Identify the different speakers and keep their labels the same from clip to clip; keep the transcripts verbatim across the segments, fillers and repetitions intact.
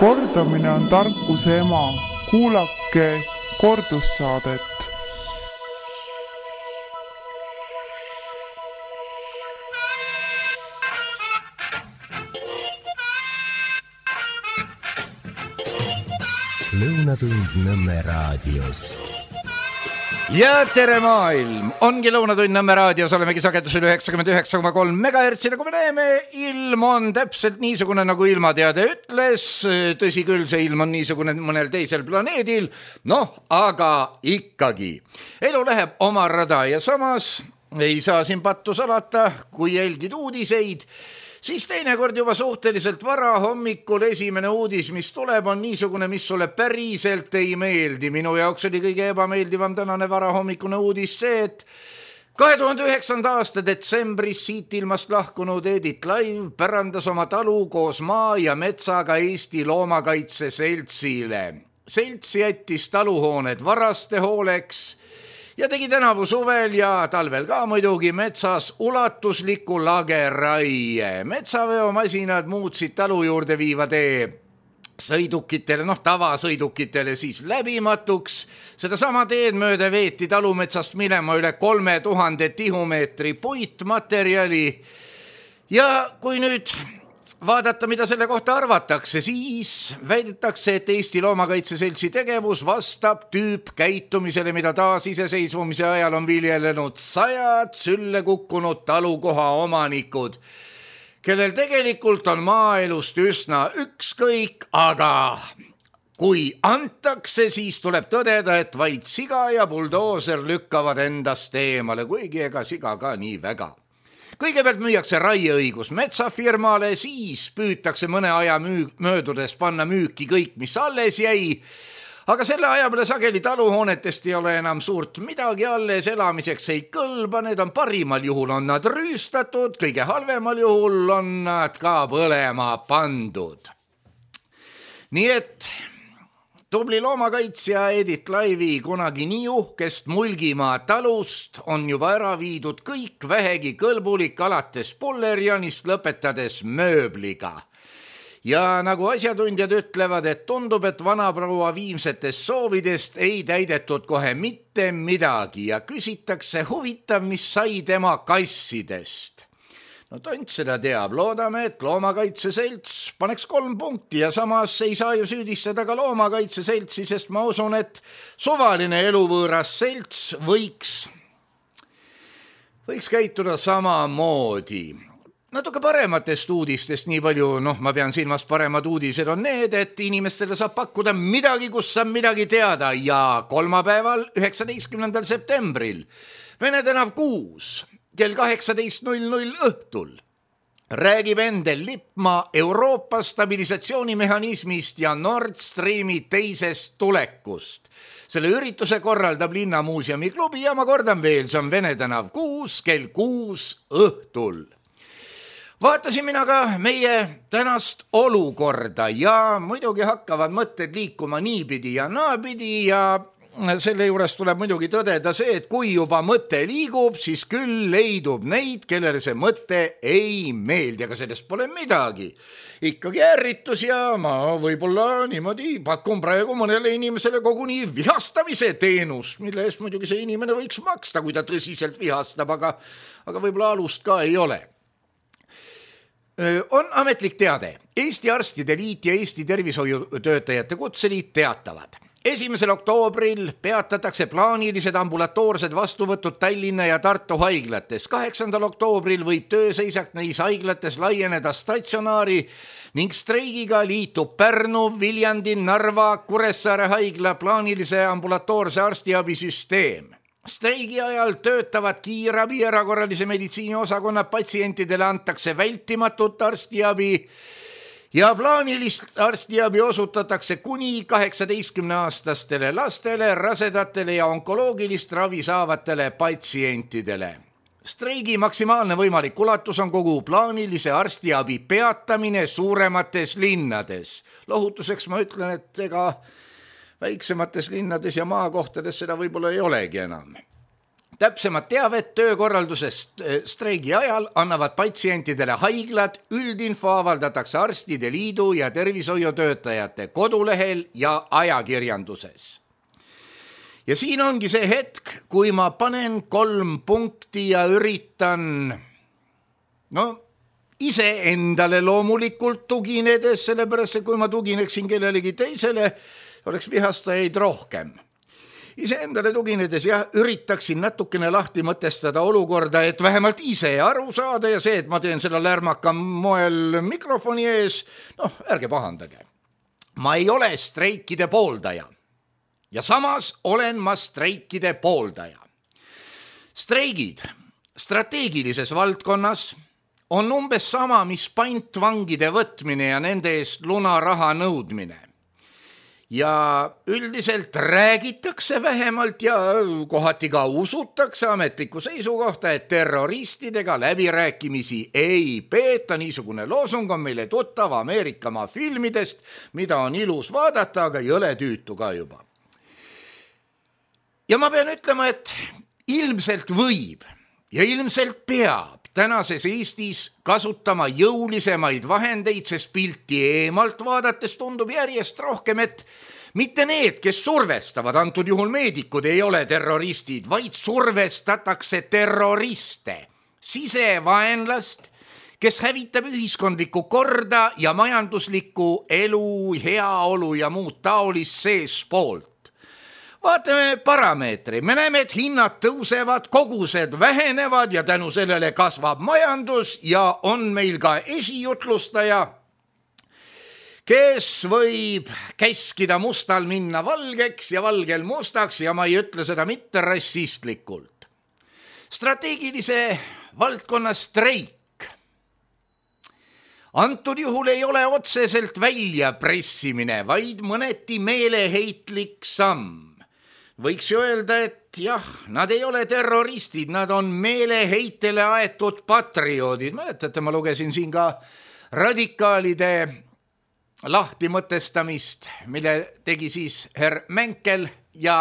Speaker 1: Kordamine on tarkuse ema. Kuulake kordussaadet.
Speaker 2: Lõunatund Nõmme raadios.
Speaker 3: Ja tere maailm! Ongi Lõunatund Nõmme raadios, olemegi sagedusel üheksakümmend üheksa koma kolm megahertsi, nagu me näeme. Ilm on täpselt niisugune, nagu ilmateade ütles. Tõsi küll, see ilm on niisugune mõnel teisel planeedil. Noh, aga ikkagi. Elu läheb oma rada ja samas ei saa siin pattu salata, kui jälgid uudiseid. Siis teinekord juba suhteliselt vara hommikul esimene uudis, mis tuleb, on niisugune, mis sulle päriselt ei meeldi. Minu jaoks oli kõige ebameeldivam tänane vara hommikune uudis see, et kahe tuhande üheksanda aasta detsembris siit ilmast lahkunud Edith Laiv pärandas oma talu koos maa ja metsaga Eesti Loomakaitse Seltsile. Selts jättis taluhooned varaste hooleks ja tegi tänavu suvel ja talvel ka muidugi metsas ulatusliku lageraie. Metsaveomasinad muutsid talu juurde viiva tee sõidukitele, noh tavasõidukitele siis läbimatuks. Seda sama teed mööda veeti talumetsast minema üle kolme tuhande tihumeetri puitmaterjali. Ja kui nüüd vaadata, mida selle kohta arvatakse, siis väidetakse, et Eesti Loomakaitse Seltsi tegevus vastab tüüpkäitumisele, mida taas iseseisvumise ajal on viljelenud sajad sülle kukkunud talukoha omanikud, kellel tegelikult on maaelust üsna ükskõik, aga kui antakse, siis tuleb tõdeda, et vaid siga ja buldooser lükkavad endast eemale, kuigi ega siga ka nii väga. Kõigepealt müüakse raieõigus metsafirmale, siis püütakse mõne aja müü- möödudes panna müüki kõik, mis alles jäi. Aga selle aja peale sageli taluhoonetest ei ole enam suurt midagi alles, elamiseks ei kõlba, need on parimal juhul on nad rüüstatud, kõige halvemal juhul on nad ka põlema pandud. Nii et tubli loomakaitsja Edith Laivi kunagi nii uhkest Mulgimaa talust on juba ära viidud kõik vähegi kõlbulik alates pullerjanist lõpetades mööbliga. Ja nagu asjatundjad ütlevad, et tundub, et vanaproua viimsetest soovidest ei täidetud kohe mitte midagi ja küsitakse huvitav, mis sai tema kassidest. No tont seda teab, loodame, et Loomakaitse Selts paneks kolm punkti ja samas ei saa ju süüdistada ka Loomakaitse Seltsi, sest ma usun, et suvaline eluvõõras selts võiks, võiks käituda samamoodi. Natuke parematest uudistest nii palju, noh ma pean silmas paremad uudised on need, et inimestele saab pakkuda midagi, kus saab midagi teada ja kolmapäeval üheksateistkümnendal septembril Vene tänav kuus kell kaheksateist null null õhtul räägib Endel Lippmaa Euroopa stabilisatsioonimehhanismist ja Nord Streami teisest tulekust. Selle ürituse korraldab Linnamuuseumi klubi ja ma kordan veel, see on Vene tänav kuus kell kuus õhtul. Vaatasin mina ka meie tänast olukorda ja muidugi hakkavad mõtted liikuma niipidi ja naapidi ja selle juures tuleb muidugi tõdeda see, et kui juba mõte liigub, siis küll leidub neid, kellele see mõte ei meeldi, aga sellest pole midagi. Ikkagi ärritus ja ma võib-olla niimoodi pakun praegu mõnele inimesele koguni vihastamise teenus, mille eest muidugi see inimene võiks maksta, kui ta tõsiselt vihastab, aga, aga võib-olla alust ka ei ole. On ametlik teade. Eesti Arstide Liit ja Eesti Tervishoiutöötajate Kutseliit teatavad. Esimesel oktoobril peatatakse plaanilised ambulatoorsed vastuvõtud Tallinna ja Tartu haiglates. Kaheksandal oktoobril võib tööseisak neis haiglates laieneda statsionaari ning streigiga liitub Pärnu, Viljandi, Narva, Kuressaare haigla plaanilise ambulatoorse arstiabisüsteem. Streigi ajal töötavad kiirabi erakorralise meditsiini osakonna patsientidele antakse vältimatut arstiabi ja plaanilist arstiabi osutatakse kuni kaheksateistkümneaastastele lastele, rasedatele ja onkoloogilist ravi saavatele patsientidele. Streigi maksimaalne võimalik ulatus on kogu plaanilise arstiabi peatamine suuremates linnades. Lohutuseks ma ütlen, et ega väiksemates linnades ja maakohtades seda võib-olla ei olegi enam. täpsemat teavet töökorraldusest streigi ajal annavad patsientidele haiglad, üldinfo avaldatakse Arstide Liidu ja tervishoiutöötajate kodulehel ja ajakirjanduses. Ja siin ongi see hetk, kui ma panen kolm punkti ja üritan, no ise endale loomulikult tuginedes, sellepärast kui ma tugineksin kellelegi teisele, oleks vihastajaid rohkem. Ise endale tuginedes ja üritaksin natukene lahti mõtestada olukorda, et vähemalt ise aru saada ja see, et ma teen seda lärmaka moel mikrofoni ees, noh, ärge pahandage. Ma ei ole streikide pooldaja ja samas olen ma streikide pooldaja. Streigid strateegilises valdkonnas on umbes sama, mis pantvangide võtmine ja nende eest lunaraha nõudmine. Ja üldiselt räägitakse vähemalt ja kohati ka usutakse ametlikku seisukohta, et terroristidega läbirääkimisi ei peeta. Niisugune loosung on meile tuttav Ameerikamaa filmidest, mida on ilus vaadata, aga jõle tüütu ka juba. Ja ma pean ütlema, et ilmselt võib ja ilmselt peab tänases Eestis kasutama jõulisemaid vahendeid, sest pilti eemalt vaadates tundub järjest rohkem, et mitte need, kes survestavad, antud juhul meedikud, ei ole terroristid, vaid survestatakse terroriste, sisevaenlast, kes hävitab ühiskondlikku korda ja majanduslikku elu, heaolu ja muud taolist seespoolt. Vaatame parameetri, me näeme, et hinnad tõusevad, kogused vähenevad ja tänu sellele kasvab majandus ja on meil ka esijutlustaja, kes võib käskida mustal minna valgeks ja valgel mustaks ja ma ei ütle seda mitte rassistlikult. Strateegilise valdkonna streik. Antud juhul ei ole otseselt välja pressimine, vaid mõneti meeleheitlik samm. Võiks ju öelda, et jah, nad ei ole terroristid, nad on meeleheitele aetud patrioodid. Mäletate, ma lugesin siin ka radikaalide lahtimõtestamist, mille tegi siis herr Menkel ja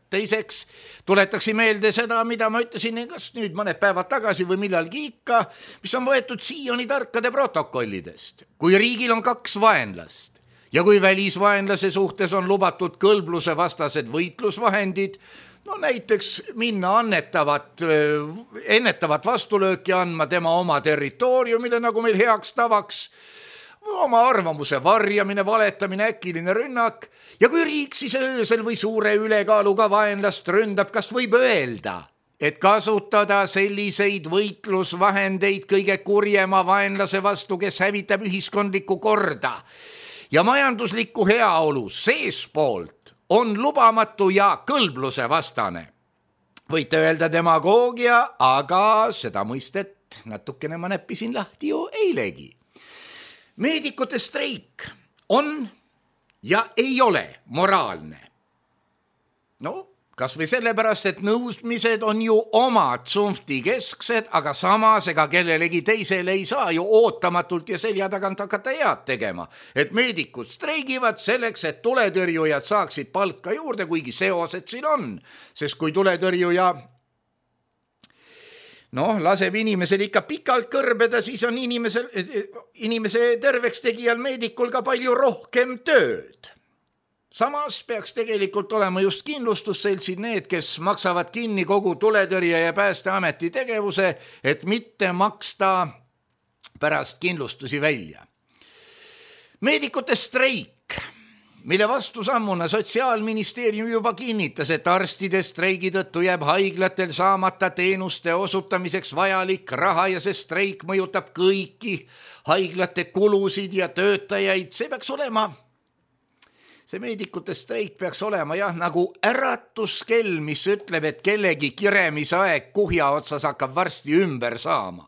Speaker 3: teiseks tuletaksi meelde seda, mida ma ütlesin, kas nüüd mõned päevad tagasi või millalgi ikka, mis on võetud Sioni tarkade protokollidest. Kui riigil on kaks vaenlast, ja kui välisvaenlase suhtes on lubatud kõlbluse vastased võitlusvahendid, no näiteks minna annetavat, ennetavat vastulööki andma tema oma territooriumile, nagu meil heaks tavaks, oma arvamuse varjamine, valetamine, äkiline rünnak, ja kui riik siis öösel või suure ülekaaluga vaenlast ründab, kas võib öelda, et kasutada selliseid võitlusvahendeid kõige kurjema vaenlase vastu, kes hävitab ühiskondlikku korda ja majanduslikku heaolu seespoolt on lubamatu ja kõlbluse vastane. Võite öelda demagoogia, aga seda mõistet natukene ma näppisin lahti ju eilegi. Meedikute streik on ja ei ole moraalne. No, kas või sellepärast, et nõudmised on ju omad tsunfti kesksed, aga samas ega kellelegi teisele ei saa ju ootamatult ja selja tagant hakata head tegema. Et meedikud streigivad selleks, et tuletõrjujad saaksid palka juurde, kuigi seosed siin on. Sest kui tuletõrjuja noh, laseb inimesel ikka pikalt kõrbeda, siis on inimesel, inimese terveks tegijal meedikul ka palju rohkem tööd. Samas peaks tegelikult olema just kindlustusseltsid need, kes maksavad kinni kogu tuletõrje ja päästeameti tegevuse, et mitte maksta pärast kindlustusi välja. Meedikute streik, mille vastu sammuna Sotsiaalministeerium juba kinnitas, et arstide streigi tõttu jääb haiglatel saamata teenuste osutamiseks vajalik raha ja see streik mõjutab kõiki haiglate kulusid ja töötajaid, see peaks olema See meedikute streik peaks olema jah nagu äratuskell, mis ütleb, et kellegi kiremisaeg kuhja otsas hakkab varsti ümber saama.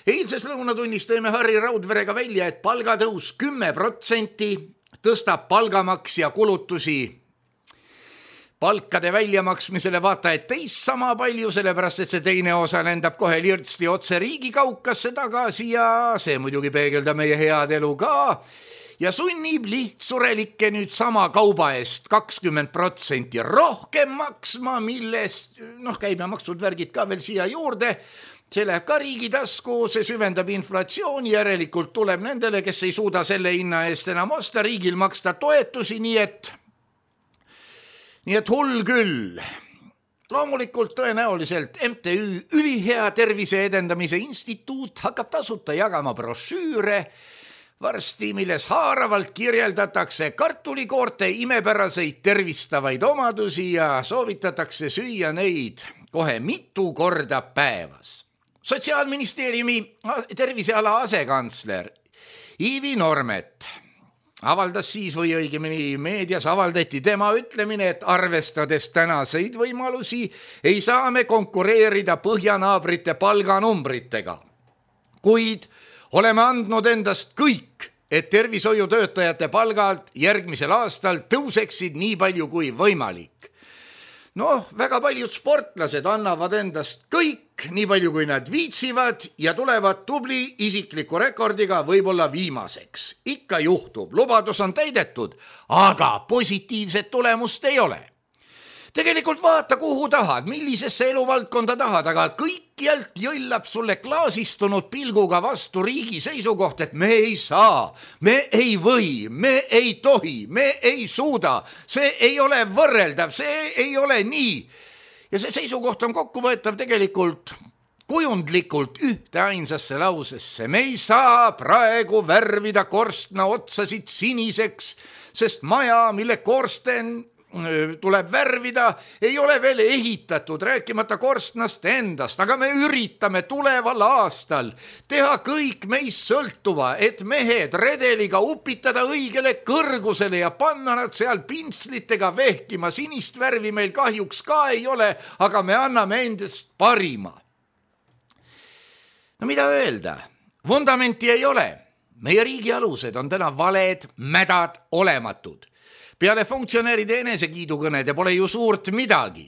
Speaker 3: Eilses lõunatunnis tõime Harri Raudverega välja, et palgatõus kümme protsenti tõstab palgamaks ja kulutusi palkade väljamaksmisele vaata, et teist sama palju, sellepärast, et see teine osa lendab kohe lirtsti otse riigi kaukasse tagasi ja see muidugi peegeldab meie head elu ka. ja sunnib lihtsurelikke nüüd sama kauba eest kakskümmend protsenti rohkem maksma, millest noh, käibemaksud värgid ka veel siia juurde. See läheb ka riigi tasku, see süvendab inflatsiooni, järelikult tuleb nendele, kes ei suuda selle hinna eest enam osta, riigil maksta toetusi, nii et, nii et hull küll. Loomulikult tõenäoliselt M T Ü Ülihea Tervise Edendamise Instituut hakkab tasuta jagama brošüüre varsti, milles haaravalt kirjeldatakse kartulikoorte imepäraseid tervistavaid omadusi ja soovitatakse süüa neid kohe mitu korda päevas. Sotsiaalministeeriumi terviseala asekantsler Ivi Normet avaldas siis või õigemini meedias avaldati tema ütlemine, et arvestades tänaseid võimalusi ei saa me konkureerida põhjanaabrite palganumbritega. Kuid oleme andnud endast kõik, et tervishoiutöötajate palgalt järgmisel aastal tõuseksid nii palju kui võimalik. Noh, väga paljud sportlased annavad endast kõik, nii palju kui nad viitsivad ja tulevad tubli isikliku rekordiga võib-olla viimaseks. Ikka juhtub, lubadus on täidetud, aga positiivset tulemust ei ole. Tegelikult vaata, kuhu tahad, millisesse eluvaldkonda tahad, aga kõikjalt jõllab sulle klaasistunud pilguga vastu riigi seisukoht, et me ei saa, me ei või, me ei tohi, me ei suuda, see ei ole võrreldav, see ei ole nii. Ja see seisukoht on kokkuvõetav tegelikult kujundlikult ühte ainsasse lausesse. Me ei saa praegu värvida korstna otsasid siniseks, sest maja, mille korsten tuleb värvida, ei ole veel ehitatud, rääkimata korstnast endast, aga me üritame tuleval aastal teha kõik meist sõltuva, et mehed redeliga upitada õigele kõrgusele ja panna nad seal pintslitega vehkima. Sinist värvi meil kahjuks ka ei ole, aga me anname endast parima. No mida öelda? Vundamenti ei ole. Meie riigi alused on täna valed, mädad, olematud. Peale funktsionäride enesekiidukõnede pole ju suurt midagi.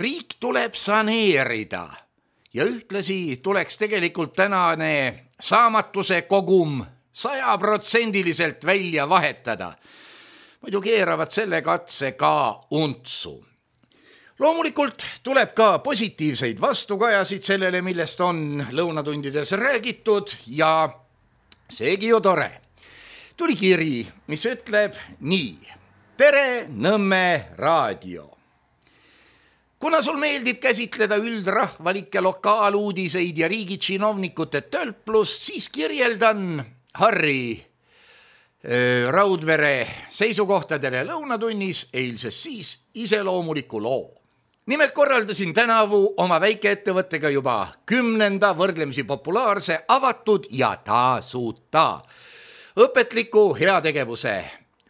Speaker 3: Riik tuleb saneerida ja ühtlasi tuleks tegelikult tänane saamatuse kogum sajaprotsendiliselt välja vahetada. Muidu keeravad selle katse ka untsu. Loomulikult tuleb ka positiivseid vastukajasid sellele, millest on lõunatundides räägitud ja seegi ju tore. Tuli kiri, mis ütleb nii. Tere, Nõmme raadio. Kuna sul meeldib käsitleda üldrahvalikke lokaaluudiseid ja riigi tsinovnikute tölplust, siis kirjeldan Harri äh, Raudvere seisukohtadele lõunatunnis eilses siis iseloomuliku loo. Nimelt korraldasin tänavu oma väikeettevõttega juba kümnenda võrdlemisi populaarse avatud ja tasuta õpetliku heategevuse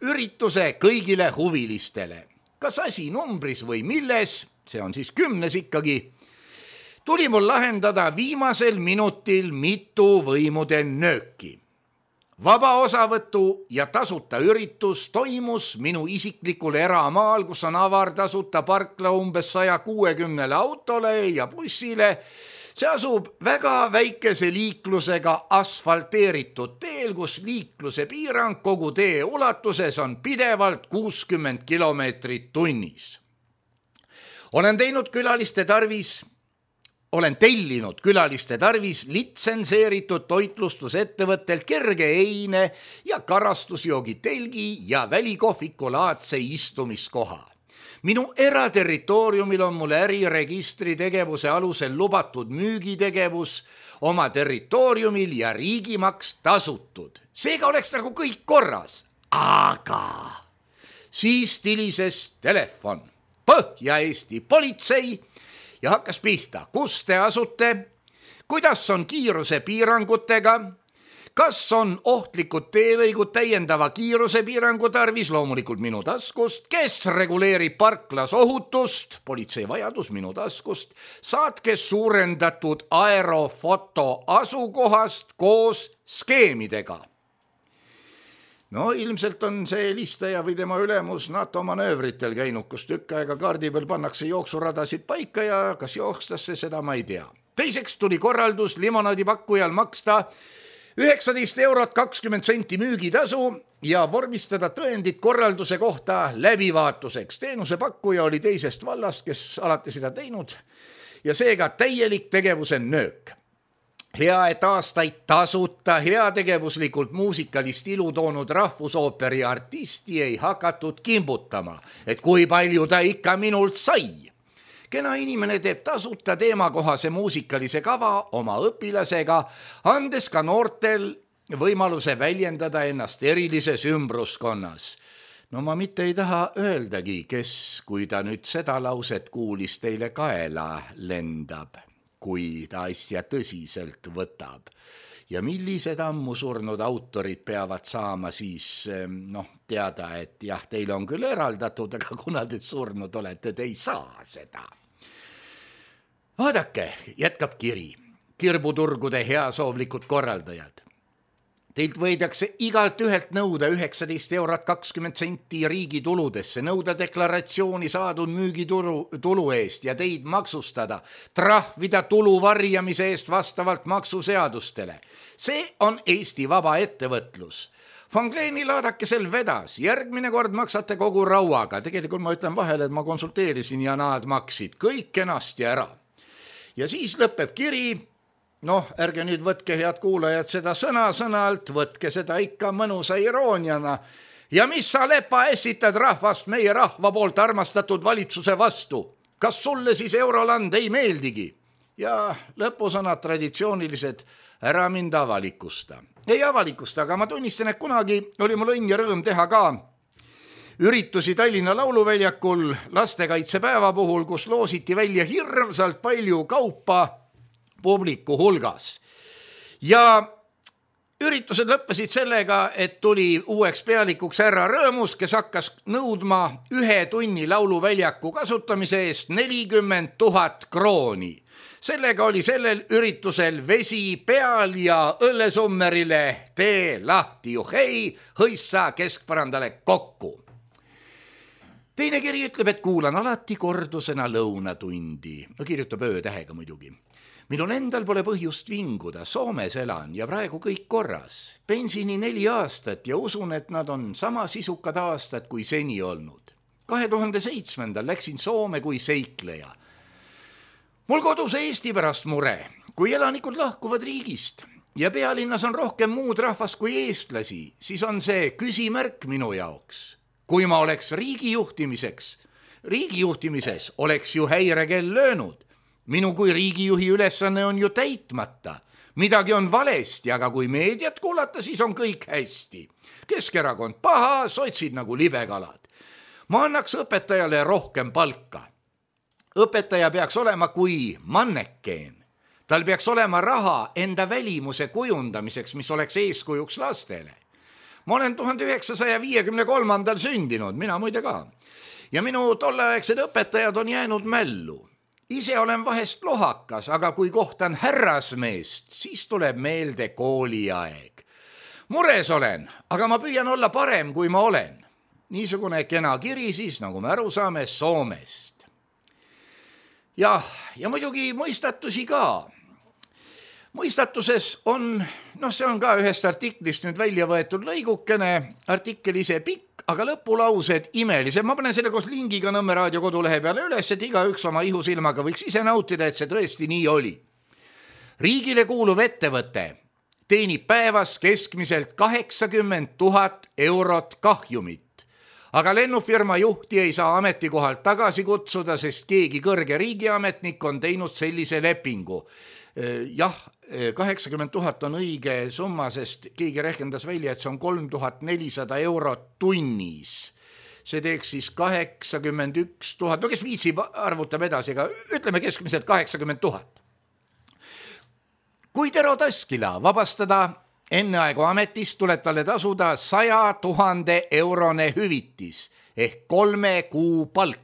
Speaker 3: ürituse kõigile huvilistele. Kas asi numbris või milles, see on siis kümnes ikkagi, tuli mul lahendada viimasel minutil mitu võimude nööki. Vaba osavõtu ja tasuta üritus toimus minu isiklikul eramaal, kus on avartasuta parkla umbes saja kuuekümnele autole ja bussile. See asub väga väikese liiklusega asfalteeritud teel, kus liikluse piirang kogu tee ulatuses on pidevalt kuuskümmend kilomeetrit tunnis. Olen teinud külaliste tarvis, olen tellinud külaliste tarvis litsenseeritud toitlustusettevõttelt kerge eine ja karastusjoogitelgi ja välikohvikulaadse istumiskoha. Minu eraterritooriumil on mul äriregistri tegevuse alusel lubatud müügitegevus oma territooriumil ja riigimaks tasutud. Seega oleks nagu kõik korras, aga siis tilises telefon Põhja-Eesti politsei ja hakkas pihta, kus te asute, kuidas on kiiruse piirangutega, kas on ohtlikud teelõigud täiendava kiiruse piirangu tarvis, loomulikult minu taskust, kes reguleerib parklas ohutust, politsei vajadus minu taskust, saatke suurendatud aerofoto asukohast koos skeemidega. No ilmselt on see helistaja või tema ülemus NATO manöövritel käinud, kus tükk aega kaardi peal pannakse jooksuradasid paika ja kas jookstas see, seda ma ei tea. Teiseks tuli korraldus limonaadipakkujal maksta üheksateist eurot kakskümmend senti müügitasu ja vormistada tõendid korralduse kohta läbivaatuseks. Teenusepakkuja oli teisest vallast, kes alati seda teinud ja seega täielik tegevuse nöök. Hea, et aastaid tasuta heategevuslikult muusikalist ilu toonud rahvusooperi artisti ei hakatud kimbutama, et kui palju ta ikka minult sai. Kena inimene teeb tasuta teemakohase muusikalise kava oma õpilasega, andes ka noortel võimaluse väljendada ennast erilises ümbruskonnas. No ma mitte ei taha öeldagi, kes, kui ta nüüd seda lauset kuulis, teile kaela lendab, kui ta asja tõsiselt võtab. Ja millised ammu surnud autorid peavad saama siis noh, teada, et jah, teile on küll eraldatud, aga kuna te surnud olete, te ei saa seda. Vaadake, jätkab kiri. Kirbuturgude heasoovlikud korraldajad. Teilt võidakse igalt ühelt nõuda üheksateist eurot kakskümmend senti riigi tuludesse, nõuda deklaratsiooni saadud müügitulu tulu eest ja teid maksustada, trahvida tulu varjamise eest vastavalt maksuseadustele. See on Eesti vaba ettevõtlus. Fangleeni laadakesel vedas, järgmine kord maksate kogu rauaga. Tegelikult ma ütlen vahele, et ma konsulteerisin ja nad maksid kõik kenasti ära. Ja siis lõpeb kiri. Noh, ärge nüüd võtke, head kuulajad, seda sõna-sõnalt, võtke seda ikka mõnusa irooniana. Ja mis sa, Lepa, esitad rahvast meie rahva poolt armastatud valitsuse vastu? Kas sulle siis Euroland ei meeldigi? Ja lõpusõnad traditsioonilised, ära mind avalikusta. Ei avalikusta, aga ma tunnistan, et kunagi oli mul õnn ja rõõm teha ka üritusi Tallinna Lauluväljakul lastekaitsepäeva puhul, kus loositi välja hirmsalt palju kaupa publiku hulgas. Ja üritused lõppesid sellega, et tuli uueks pealikuks härra Rõõmus, kes hakkas nõudma ühe tunni lauluväljaku kasutamise eest nelikümmend tuhat krooni. Sellega oli sellel üritusel vesi peal ja õllesummerile tee lahti juhei, hõissa keskpärandale kokku. Teine kiri ütleb, et kuulan alati kordusena lõunatundi. No kirjutab öötähega muidugi. Minul endal pole põhjust vinguda, Soomes elan ja praegu kõik korras. Pensioni neli aastat ja usun, et nad on sama sisukad aastad kui seni olnud. kahe tuhande seitsmendal läksin Soome kui seikleja. Mul kodus Eesti pärast mure, kui elanikud lahkuvad riigist ja pealinnas on rohkem muud rahvast kui eestlasi, siis on see küsimärk minu jaoks. Kui ma oleks riigijuhtimiseks, riigijuhtimises oleks ju häirekell löönud. Minu kui riigijuhi ülesanne on ju täitmata. Midagi on valesti, aga kui meediat kuulata, siis on kõik hästi. Keskerakond paha, sotsid nagu libekalad. Ma annaks õpetajale rohkem palka. Õpetaja peaks olema kui mannekeen. Tal peaks olema raha enda välimuse kujundamiseks, mis oleks eeskujuks lastele. Ma olen tuhande üheksasaja viiekümne kolmandal sündinud, mina muide ka. Ja minu tolleaegsed õpetajad on jäänud mällu. Ise olen vahest lohakas, aga kui kohtan härrasmeest, siis tuleb meelde kooliaeg. Mures olen, aga ma püüan olla parem, kui ma olen. Niisugune kena kiri siis, nagu me aru saame, Soomest. Ja, ja muidugi mõistatusi ka. Mõistatuses on, noh see on ka ühest artiklist nüüd välja võetud lõigukene, artikkel ise pikk, aga lõpulaused imelised. Ma panen selle koos lingiga Nõmme raadio kodulehe peale üles, et iga üks oma ihusilmaga võiks ise nautida, et see tõesti nii oli. Riigile kuuluv ettevõte teenib päevas keskmiselt kaheksakümmend tuhat eurot kahjumit, aga lennufirma juhti ei saa ametikohalt tagasi kutsuda, sest keegi kõrge riigiametnik on teinud sellise lepingu. Jah, kaheksakümmend tuhat on õige summa, sest keegi rehkendas välja, et see on kolm tuhat nelisada eurot tunnis. See teeks siis kaheksakümmend üks tuhat, no kes viitsib arvutab edasi, aga ütleme keskmiselt kaheksakümmend tuhat. Kui Tero Taskila vabastada enneaegu ametist, tuleb talle tasuda saja tuhande eurone hüvitis ehk kolme kuu palk.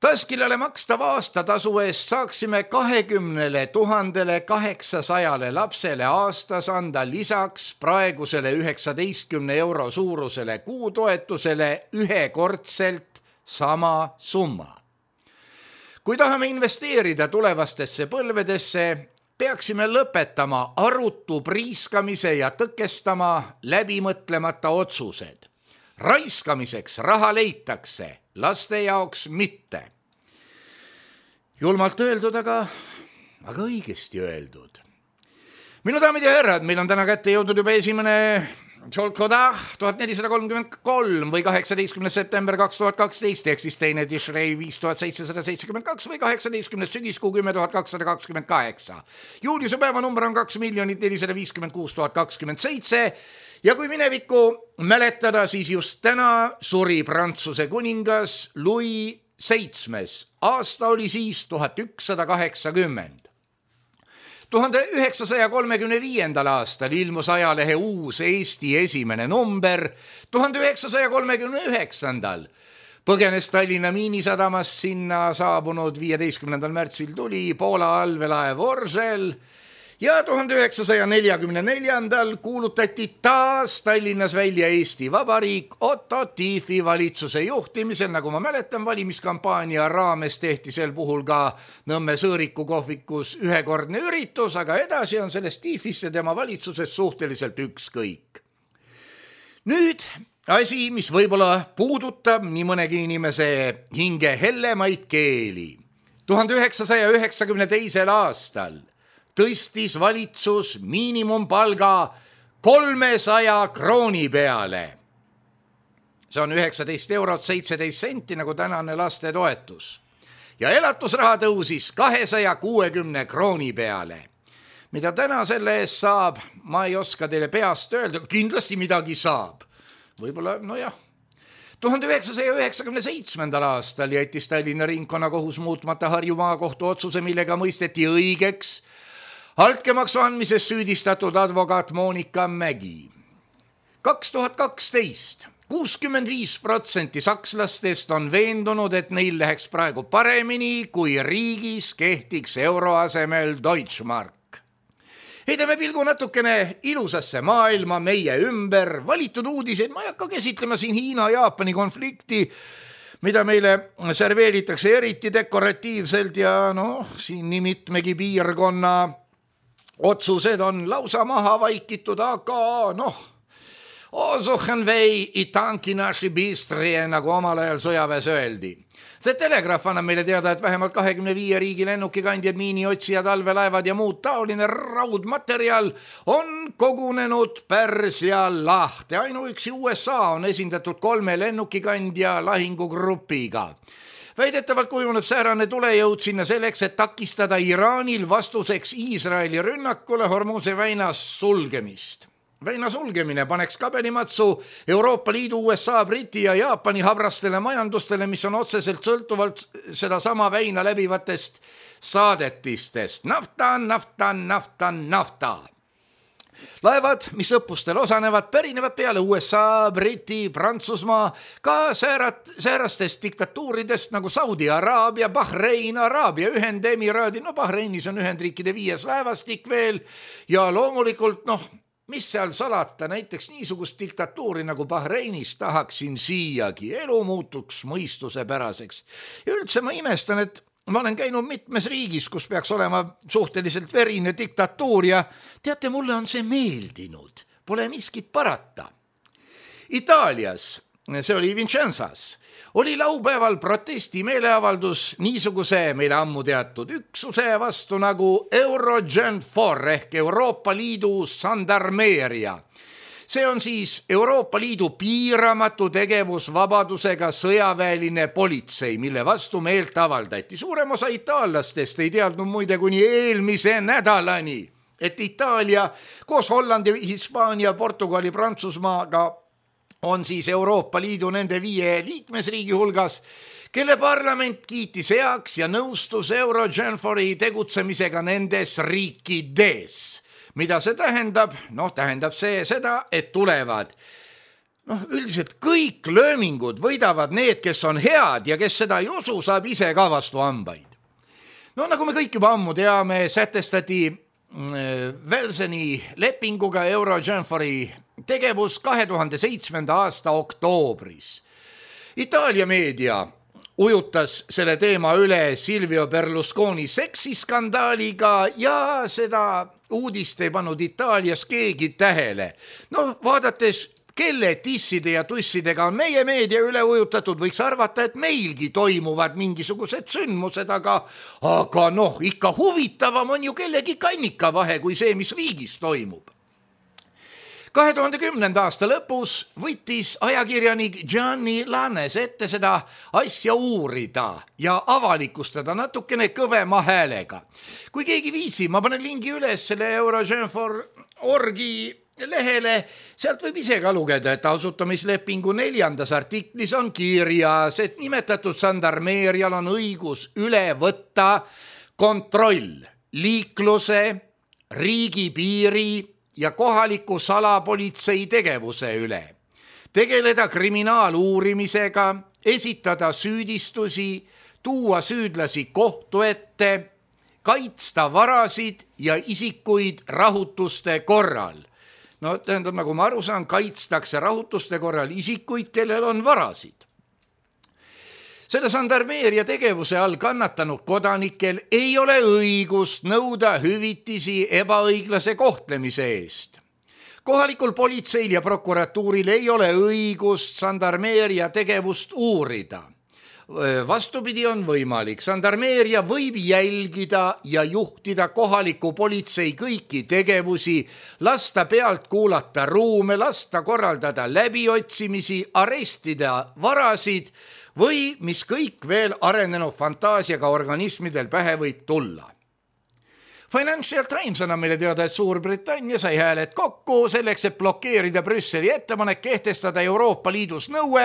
Speaker 3: Taskilale makstava aastatasu eest saaksime kahekümnele tuhandele kaheksasajale lapsele aastas anda lisaks praegusele üheksateistkümne euro suurusele kuutoetusele ühekordselt sama summa. Kui tahame investeerida tulevastesse põlvedesse, peaksime lõpetama arutu priiskamise ja tõkestama läbimõtlemata otsused. Raiskamiseks raha leitakse, laste jaoks mitte. Julmalt öeldud, aga, aga õigesti öeldud. Minu daamid ja härrad, meil on täna kätte jõudnud juba esimene Solkoda tuhat nelisada kolmkümmend kolm või kaheksateistkümnes september kaks tuhat kaksteist ehk siis teine Tishrei viis tuhat seitsesada seitsekümmend kaks või kaheksateistkümnes sügiskuu kümme tuhat kakssada kakskümmend kaheksa. Juuliuse päeva number on kaks miljonit nelisada viiskümmend kuus tuhat kakskümmend seitse ja kui minevikku mäletada, siis just täna suri Prantsuse kuningas Louis seitsmes. Aasta oli siis tuhat ükssada kaheksakümmend. tuhande üheksasaja kolmekümne viiendal aastal ilmus ajalehe Uus Eesti esimene number, tuhande üheksasaja kolmekümne üheksandal põgenes Tallinna Miinisadamast sinna saabunud viieteistkümnendal märtsil tuli Poola allveelaev Orzel ja tuhande üheksasaja neljakümne neljandal kuulutati taas Tallinnas välja Eesti Vabariik Otto Tiefi valitsuse juhtimisel, nagu ma mäletan, valimiskampaania raames tehti sel puhul ka Nõmme Sõõriku kohvikus ühekordne üritus, aga edasi on sellest Tiefist ja tema valitsusest suhteliselt ükskõik. Nüüd asi, mis võib-olla puudutab nii mõnegi inimese hinge hellemaid keeli. tuhande üheksasaja üheksakümne teisel aastal tõstis valitsus miinimumpalga kolmesaja krooni peale. See on üheksateist eurot seitseteist senti nagu tänane lastetoetus. Ja elatusraha tõusis kahesaja kuuekümne krooni peale. Mida täna selle eest saab, ma ei oska teile peast öelda, kindlasti midagi saab. Võib-olla, no jah. tuhande üheksasaja üheksakümne seitsmendal aastal jättis Tallinna ringkonnakohus muutmata Harju maakohtu otsuse, millega mõisteti õigeks altkäemaksu andmises süüdistatud advokaat Monika Mägi. kaks tuhat kaksteist kuuskümmend viis protsenti sakslastest on veendunud, et neil läheks praegu paremini, kui riigis kehtiks euro asemel Deutschmark. Heidame pilgu natukene ilusasse maailma meie ümber, valitud uudiseid, ma ei hakka käsitlema siin Hiina-Jaapani konflikti, mida meile serveeritakse eriti dekoratiivselt ja noh, siin nii mitmegi piirkonna otsused on lausa maha vaikitud, aga noh, osuchen vei itanki naši bistrie, nagu omal ajal sõjaväes öeldi. See telegraaf annab meile teada, et vähemalt kahekümne viie riigi lennukikandjad, miiniotsijad, allveelaevad ja muud taoline raudmaterjal on kogunenud Pärsia lahte. Ainuüksi U S A on esindatud kolme lennukikandja lahingugrupiga. Väidetavalt kujuneb säärane tulejõud sinna selleks, et takistada Iraanil vastuseks Iisraeli rünnakule Hormuse väina sulgemist. Väina sulgemine paneks kabelimatsu Euroopa Liidu, U S A, Briti ja Jaapani habrastele majandustele, mis on otseselt sõltuvalt seda sama väina läbivatest saadetistest. Nafta, nafta, nafta, nafta. Laevad, mis õppustel osanevad, pärinevad peale U S A, Briti, Prantsusmaa, ka säärat, säärastest diktatuuridest nagu Saudi Araabia, Bahrein, Araabia Ühendemiraadi, no Bahreinis on Ühendriikide viies laevastik veel ja loomulikult, noh, mis seal salata, näiteks niisugust diktatuuri nagu Bahreinis tahaksin siiagi, elu muutuks mõistusepäraseks. Ja üldse ma imestan, et ma olen käinud mitmes riigis, kus peaks olema suhteliselt verine diktatuur ja teate, mulle on see meeldinud, pole miskit parata. Itaalias, see oli Vincenzas, oli laupäeval protesti meeleavaldus niisuguse meile ammu teatud üksuse vastu nagu Eurogenfor ehk Euroopa Liidu sandarmeeria. See on siis Euroopa Liidu piiramatu tegevusvabadusega sõjaväeline politsei, mille vastu meelt avaldati. Suurem osa itaallastest ei teadnud muide kuni eelmise nädalani, et Itaalia koos Hollandi, Hispaania, Portugali, Prantsusmaaga on siis Euroopa Liidu nende viie liikmesriigi hulgas, kelle parlament kiitis heaks ja nõustus Eurogenfori tegutsemisega nendes riikides. Mida see tähendab? Noh, tähendab see seda, et tulevad noh, üldiselt kõik löömingud võidavad need, kes on head ja kes seda ei usu, saab ise ka vastu hambaid. No nagu me kõik juba ammu teame, sätestati Velseni lepinguga Eurogenfori tegevus kahe tuhande seitsmenda aasta oktoobris. Itaalia meedia ujutas selle teema üle Silvio Berlusconi seksiskandaaliga ja seda uudist ei pannud Itaalias keegi tähele. No vaadates, kelle tisside ja tussidega on meie meedia üle ujutatud, võiks arvata, et meilgi toimuvad mingisugused sündmused, aga, aga noh, ikka huvitavam on ju kellegi kannika vahe kui see, mis riigis toimub. kahe tuhande kümnenda aasta lõpus võttis ajakirjanik Gianni Lannes ette seda asja uurida ja avalikustada natukene kõvema häälega. Kui keegi viisi, ma panen lingi üles selle Eurogen for orgi lehele, sealt võib ise ka lugeda, et asutamislepingu neljandas artiklis on kirjas, et nimetatud sandarmeerial on õigus üle võtta kontroll liikluse, riigipiiri ja kohaliku salapolitsei tegevuse üle, tegeleda kriminaaluurimisega, esitada süüdistusi, tuua süüdlasi kohtu ette, kaitsta varasid ja isikuid rahutuste korral. No tähendab, nagu ma aru saan, kaitstakse rahutuste korral isikuid, kellel on varasid. Selle sandarmeeria tegevuse all kannatanud kodanikel ei ole õigust nõuda hüvitisi ebaõiglase kohtlemise eest. Kohalikul politseil ja prokuratuuril ei ole õigust sandarmeeria tegevust uurida. Vastupidi on võimalik. Sandarmeeria võib jälgida ja juhtida kohaliku politsei kõiki tegevusi, lasta pealt kuulata ruume, lasta korraldada läbiotsimisi, arestida varasid või mis kõik veel arenenud fantaasiaga organismidel pähe võib tulla. Financial Times annab meile teada, et Suurbritannia sai hääled kokku selleks, et blokeerida Brüsseli ettepanek kehtestada Euroopa Liidus nõue,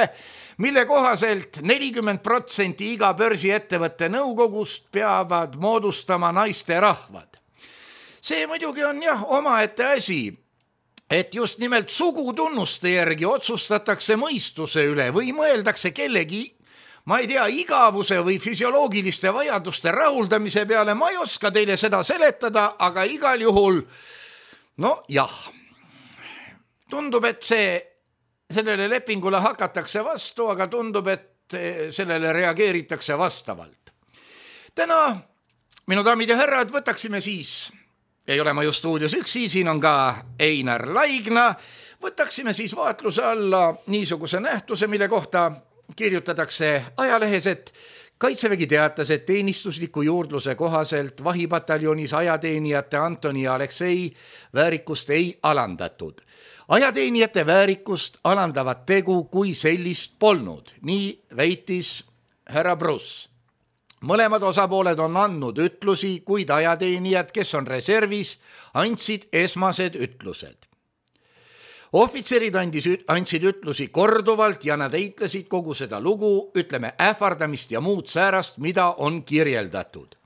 Speaker 3: mille kohaselt nelikümmend protsenti iga börsiettevõtte nõukogust peavad moodustama naiste rahvad. See muidugi on jah omaette asi, et just nimelt sugutunnuste järgi otsustatakse mõistuse üle või mõeldakse kellegi, ma ei tea, igavuse või füsioloogiliste vajaduste rahuldamise peale, ma ei oska teile seda seletada, aga igal juhul, no jah, tundub, et see sellele lepingule hakatakse vastu, aga tundub, et sellele reageeritakse vastavalt. Täna, minu daamid ja härrad, võtaksime siis, ei ole ma just stuudios üksi, siin on ka Einar Laigna, võtaksime siis vaatluse alla niisuguse nähtuse, mille kohta kirjutatakse ajalehes, et Kaitsevägi teatas, et teenistusliku juurdluse kohaselt vahipataljonis ajateenijate Antoni ja Aleksei väärikust ei alandatud. Ajateenijate väärikust alandavat tegu kui sellist polnud, nii väitis härra Bruss. Mõlemad osapooled on andnud ütlusi, kuid ajateenijad, kes on reservis, andsid esmased ütlused. Ohvitserid andis, andsid ütlusi korduvalt ja nad eitlesid kogu seda lugu, ütleme ähvardamist ja muud säärast, mida on kirjeldatud.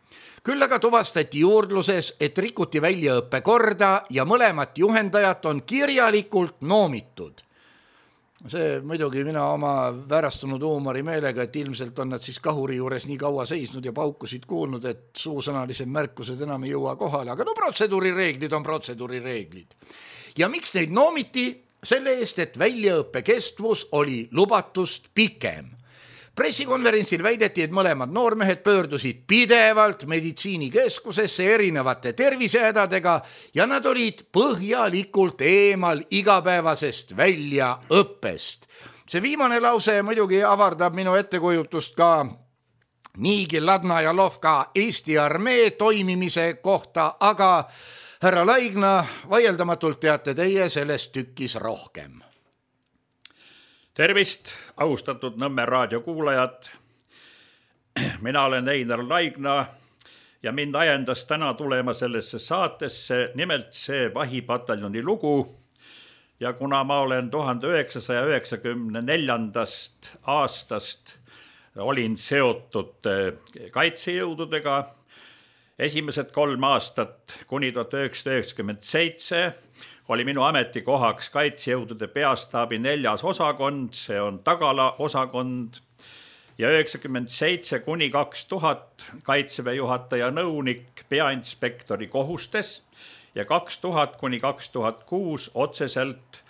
Speaker 3: Küll aga tuvastati juurdluses, et rikuti väljaõppe korda ja mõlemat juhendajat on kirjalikult noomitud. See muidugi mina oma väärastunud huumori meelega, et ilmselt on nad siis kahuri juures nii kaua seisnud ja paukusid kuulnud, et suusõnalised märkused enam ei jõua kohale, aga no protseduurireeglid on protseduurireeglid. Ja miks neid noomiti? Selle eest, et väljaõppe kestvus oli lubatust pikem. Pressikonverentsil väideti, et mõlemad noormehed pöördusid pidevalt meditsiinikeskusesse erinevate tervisehädadega ja nad olid põhjalikult eemal igapäevasest väljaõppest. See viimane lause muidugi avardab minu ettekujutust ka niigi Ladna ja Lovka Eesti armee toimimise kohta, aga härra Laigna, vaieldamatult teate teie sellest tükkis rohkem.
Speaker 4: Tervist, austatud Nõmme raadio kuulajad. Mina olen Einar Laigna ja mind ajendas täna tulema sellesse saatesse nimelt see vahipataljoni lugu. Ja kuna ma olen tuhande üheksasaja üheksakümne neljandast aastast olin seotud kaitsejõududega, esimesed kolm aastat kuni tuhat üheksasada üheksakümmend seitse oli minu ametikohaks kaitsejõudude peastaabi neljas osakond, see on Tagala osakond, ja üheksakümmend seitse kuni kaks tuhat kaitseväe juhataja nõunik peainspektori kohustes ja kaks tuhat kuni kaks tuhat kuus otseselt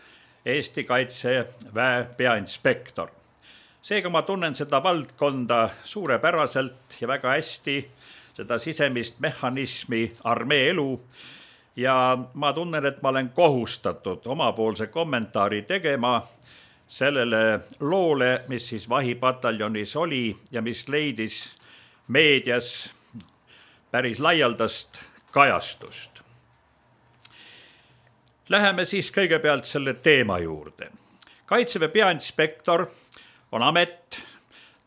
Speaker 4: Eesti kaitseväe peainspektor. Seega ma tunnen seda valdkonda suurepäraselt ja väga hästi, seda sisemist mehhanismi, armee elu, ja ma tunnen, et ma olen kohustatud omapoolse kommentaari tegema sellele loole, mis siis vahipataljonis oli ja mis leidis meedias päris laialdast kajastust. Läheme siis kõigepealt selle teema juurde. Kaitseväe peainspektor on amet,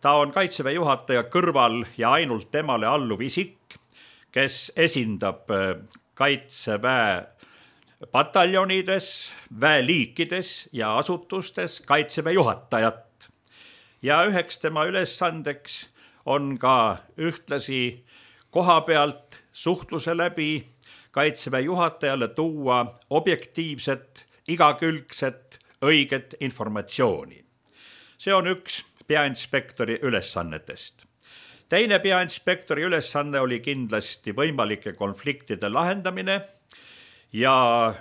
Speaker 4: ta on Kaitseväe juhataja kõrval ja ainult temale alluv isik, kes esindab Kaitseväe pataljonides, väeliikides ja asutustes Kaitseväe juhatajat. Ja üheks tema ülesandeks on ka ühtlasi koha pealt suhtluse läbi Kaitseväe juhatajale tuua objektiivset, igakülgset, õiget informatsiooni. See on üks peainspektori ülesannetest. Teine peainspektori ülesanne oli kindlasti võimalike konfliktide lahendamine ja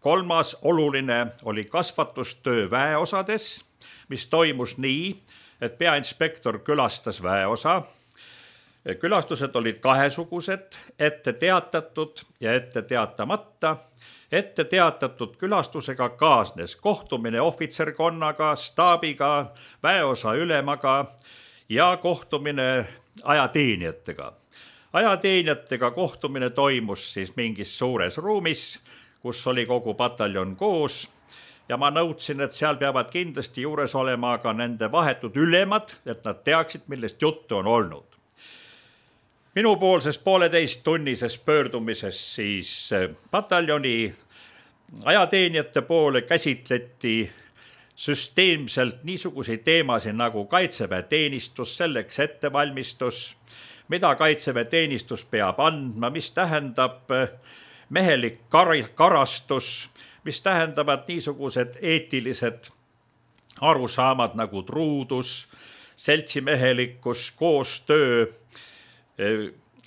Speaker 4: kolmas oluline oli kasvatustöö väeosades, mis toimus nii, et peainspektor külastas väeosa. Külastused olid kahesugused, ette teatatud ja ette teatamata. Ette teatatud külastusega kaasnes kohtumine ohvitserkonnaga, staabiga, väeosa ülemaga ja kohtumine ajateenijatega. Ajateenijatega kohtumine toimus siis mingis suures ruumis, kus oli kogu pataljon koos ja ma nõudsin, et seal peavad kindlasti juures olema ka nende vahetud ülemad, et nad teaksid, millest juttu on olnud. Minupoolses pooleteist tunnises pöördumises siis pataljoni ajateenijate poole käsitleti süsteemselt niisuguseid teemasid nagu Kaitseväe teenistus, selleks ettevalmistus, mida Kaitseväe teenistus peab andma, mis tähendab mehelik kar- karastus, mis tähendavad niisugused eetilised arusaamad nagu truudus, seltsimehelikkus, koostöö,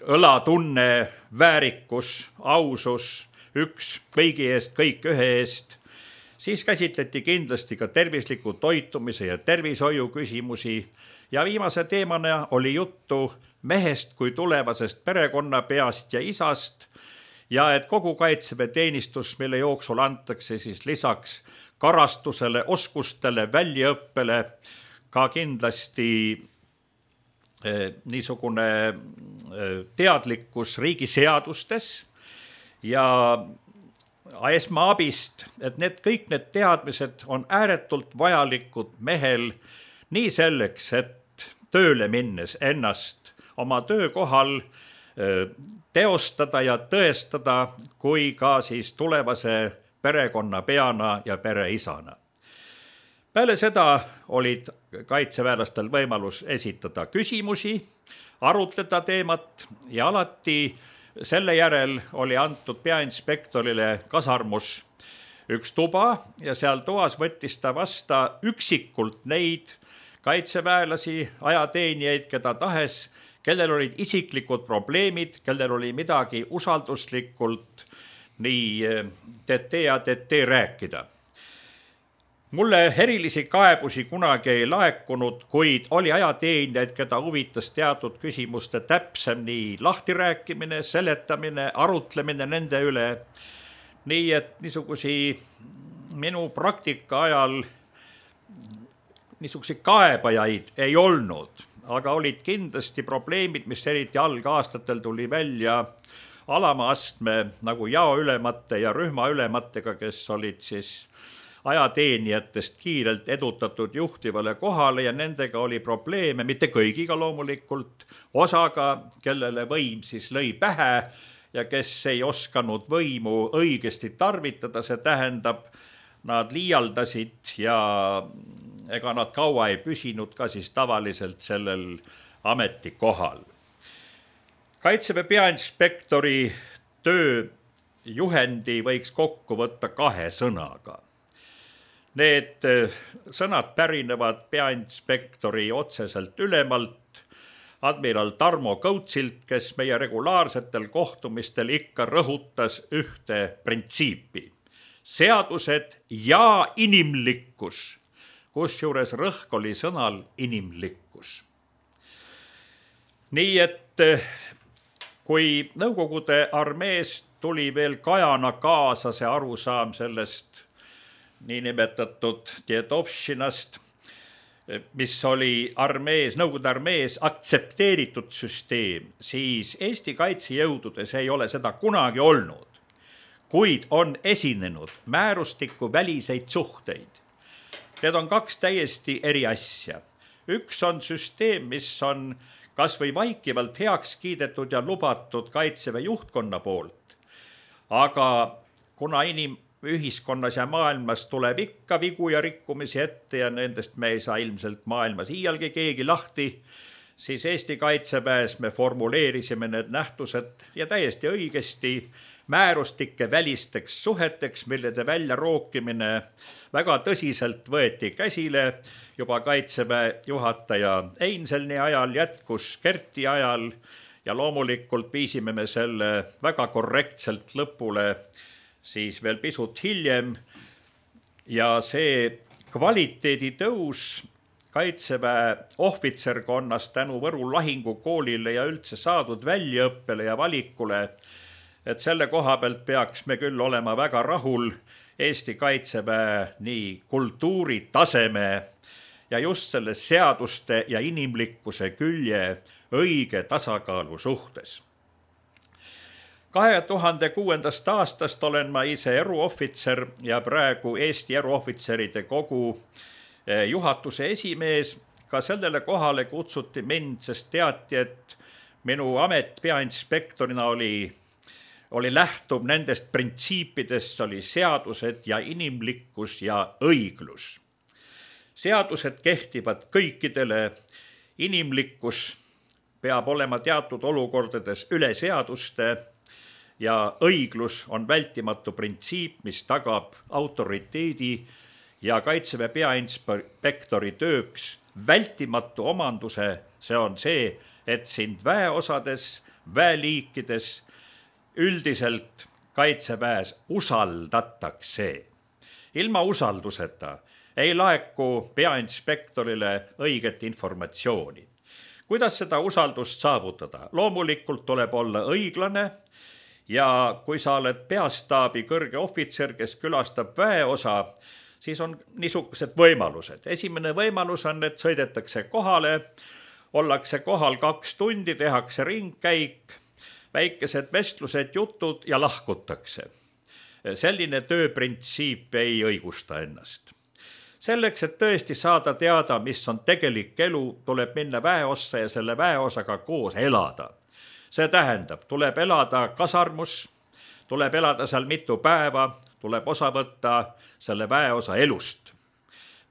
Speaker 4: õlatunne, väärikus, ausus, üks kõigi eest, kõik ühe eest. Siis käsitleti kindlasti ka tervisliku toitumise ja tervishoiu küsimusi ja viimase teemana oli juttu mehest kui tulevasest perekonnapeast ja isast ja et kogu Kaitseväe teenistus, mille jooksul antakse siis lisaks karastusele, oskustele, väljaõppele ka kindlasti eh, niisugune eh, teadlikkus riigiseadustes ja esmaabist, et need kõik need teadmised on ääretult vajalikud mehel nii selleks, et tööle minnes ennast oma töökohal teostada ja tõestada, kui ka siis tulevase perekonnapeana ja pereisana. Peale seda olid kaitseväelastel võimalus esitada küsimusi, arutleda teemat ja alati selle järel oli antud peainspektorile kasarmus üks tuba ja seal toas võttis ta vasta üksikult neid kaitseväelasi, ajateenijaid, keda tahes, kellel olid isiklikud probleemid, kellel oli midagi usalduslikult nii tete ja tete rääkida. Mulle erilisi kaebusi kunagi ei laekunud, kuid oli ajateenijaid, keda huvitas teatud küsimuste täpsem nii lahtirääkimine, seletamine, arutlemine nende üle. Nii et niisugusi minu praktika ajal niisugusi kaebajaid ei olnud, aga olid kindlasti probleemid, mis eriti algaastatel tuli välja alama astme nagu jaoülemate ja rühmaülematega, kes olid siis ajateenijatest kiirelt edutatud juhtivale kohale ja nendega oli probleeme, mitte kõigiga loomulikult, osaga, kellele võim siis lõi pähe ja kes ei oskanud võimu õigesti tarvitada, see tähendab, nad liialdasid ja ega nad kaua ei püsinud ka siis tavaliselt sellel ametikohal. Kaitseväe peainspektori tööjuhendi võiks kokku võtta kahe sõnaga. Need sõnad pärinevad peainspektori otseselt ülemalt, admiral Tarmo Kõutsilt, kes meie regulaarsetel kohtumistel ikka rõhutas ühte printsiipi. Seadused ja inimlikkus kusjuures rõhk oli sõnal inimlikkus. Nii et kui Nõukogude armeest tuli veel kajana kaasa see arusaam sellest niinimetatud Djedovšinast, mis oli armees, Nõukogude armees aktsepteeritud süsteem, siis Eesti kaitsejõududes ei ole seda kunagi olnud, kuid on esinenud määrustiku väliseid suhteid. Need on kaks täiesti eri asja. Üks on süsteem, mis on kas või vaikivalt heaks kiidetud ja lubatud Kaitseväe juhtkonna poolt, aga kuna inim ühiskonnas ja maailmas tuleb ikka vigu ja rikkumisi ette ja nendest me ei saa ilmselt maailmas iialgi keegi lahti, siis Eesti Kaitseväes me formuleerisime need nähtused ja täiesti õigesti määrustike välisteks suheteks, millede välja rookimine väga tõsiselt võeti käsile juba Kaitseväe juhataja Einselni ajal, jätkus Kerti ajal ja loomulikult viisime me selle väga korrektselt lõpule siis veel pisut hiljem ja see kvaliteedi tõus Kaitseväe ohvitserkonnas tänu Võru lahingukoolile ja üldse saadud väljaõppele ja valikule, et selle koha pealt peaks me küll olema väga rahul Eesti Kaitseväe nii kultuuri taseme ja just selle seaduste ja inimlikkuse külje õige tasakaalu suhtes. kahe tuhande kuuendast aastast olen ma ise eruohvitser ja praegu Eesti eruohvitseride kogu juhatuse esimees. Ka sellele kohale kutsuti mind, sest teati, et minu amet peainspektorina oli, oli lähtub nendest printsiipidest, oli seadused ja inimlikkus ja õiglus. Seadused kehtivad kõikidele, inimlikkus peab olema teatud olukordades üle seaduste ja õiglus on vältimatu printsiip, mis tagab autoriteedi ja Kaitseväe peainspektori tööks vältimatu omanduse. See on see, et sind väeosades, väeliikides üldiselt Kaitseväes usaldatakse. Ilma usalduseta ei laeku peainspektorile õiget informatsiooni. Kuidas seda usaldust saavutada? Loomulikult tuleb olla õiglane. Ja kui sa oled peastaabi kõrge ohvitser, kes külastab väeosa, siis on niisugused võimalused. Esimene võimalus on, et sõidetakse kohale, ollakse kohal kaks tundi, tehakse ringkäik, väikesed vestlused, jutud ja lahkutakse. Selline tööprintsiip ei õigusta ennast. Selleks, et tõesti saada teada, mis on tegelik elu, tuleb minna väeossa ja selle väeosaga koos elada. See tähendab, tuleb elada kasarmus, tuleb elada seal mitu päeva, tuleb osa võtta selle väeosa elust,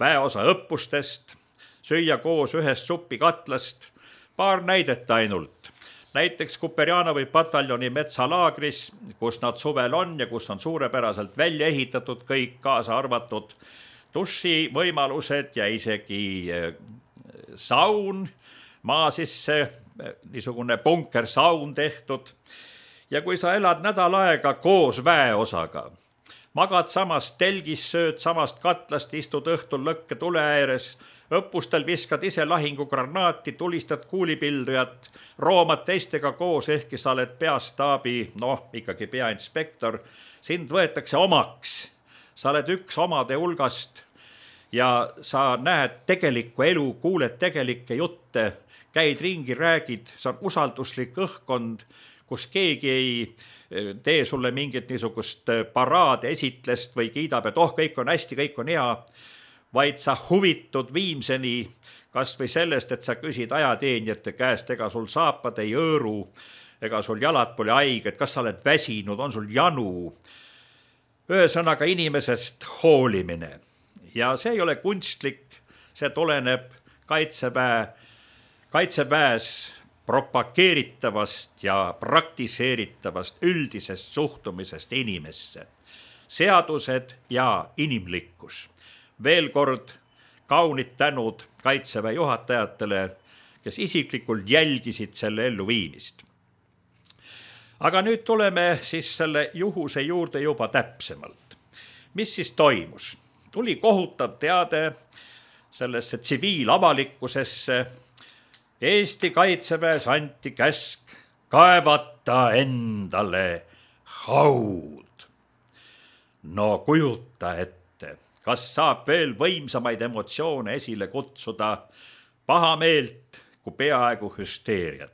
Speaker 4: väeosa õppustest, süüa koos ühest supikatlast, paar näidet ainult. Näiteks Kuperjanovi pataljoni metsalaagris, kus nad suvel on ja kus on suurepäraselt välja ehitatud kõik, kaasa arvatud duši võimalused ja isegi saun maa sisse, niisugune bunkersaun tehtud. Ja kui sa elad nädal aega koos väeosaga, magad samast telgis, sööd samast katlast, istud õhtul lõkke tule ääres, õppustel viskad ise lahingugranaati, tulistad kuulipildujat, roomad teistega koos, ehkki sa oled peastaabi, noh, ikkagi peainspektor, sind võetakse omaks. Sa oled üks omade hulgast ja sa näed tegelikku elu, kuuled tegelikke jutte, käid ringi, räägid, see on usalduslik õhkkond, kus keegi ei tee sulle mingit niisugust paraade esitlest või kiidab, et oh, kõik on hästi, kõik on hea, vaid sa huvitud viimseni kas või sellest, et sa küsid ajateenijate käest, ega sul saapad ei õõru, ega sul jalad pole haiged, kas sa oled väsinud, on sul janu. Ühesõnaga inimesest hoolimine. Ja see ei ole kunstlik, see tuleneb Kaitseväe Kaitseväes propageeritavast ja praktiseeritavast üldisest suhtumisest inimesse. Seadused ja inimlikkus. Veel kord kaunid tänud Kaitseväe juhatajatele, kes isiklikult jälgisid selle elluviimist. Aga nüüd tuleme siis selle juhuse juurde juba täpsemalt. Mis siis toimus? Tuli kohutav teade sellesse tsiviilavalikkusesse. Eesti Kaitseväes anti käsk kaevata endale haud. No kujuta ette, kas saab veel võimsamaid emotsioone esile kutsuda pahameelt kui peaaegu hüsteeriat.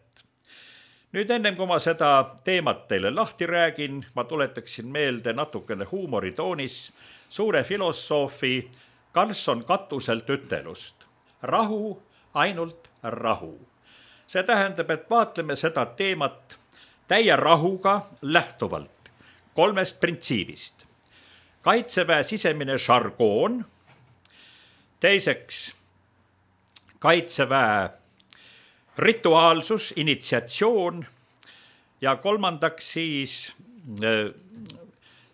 Speaker 4: Nüüd ennem kui ma seda teemat teile lahti räägin, ma tuletaksin meelde natukene huumoritoonis suure filosoofi Karlsson Katuselt ütelust. Rahu, ainult rahu. See tähendab, et vaatleme seda teemat täie rahuga lähtuvalt kolmest printsiibist. Kaitseväe sisemine žargoon, teiseks Kaitseväe rituaalsus, initsiatsioon ja kolmandaks siis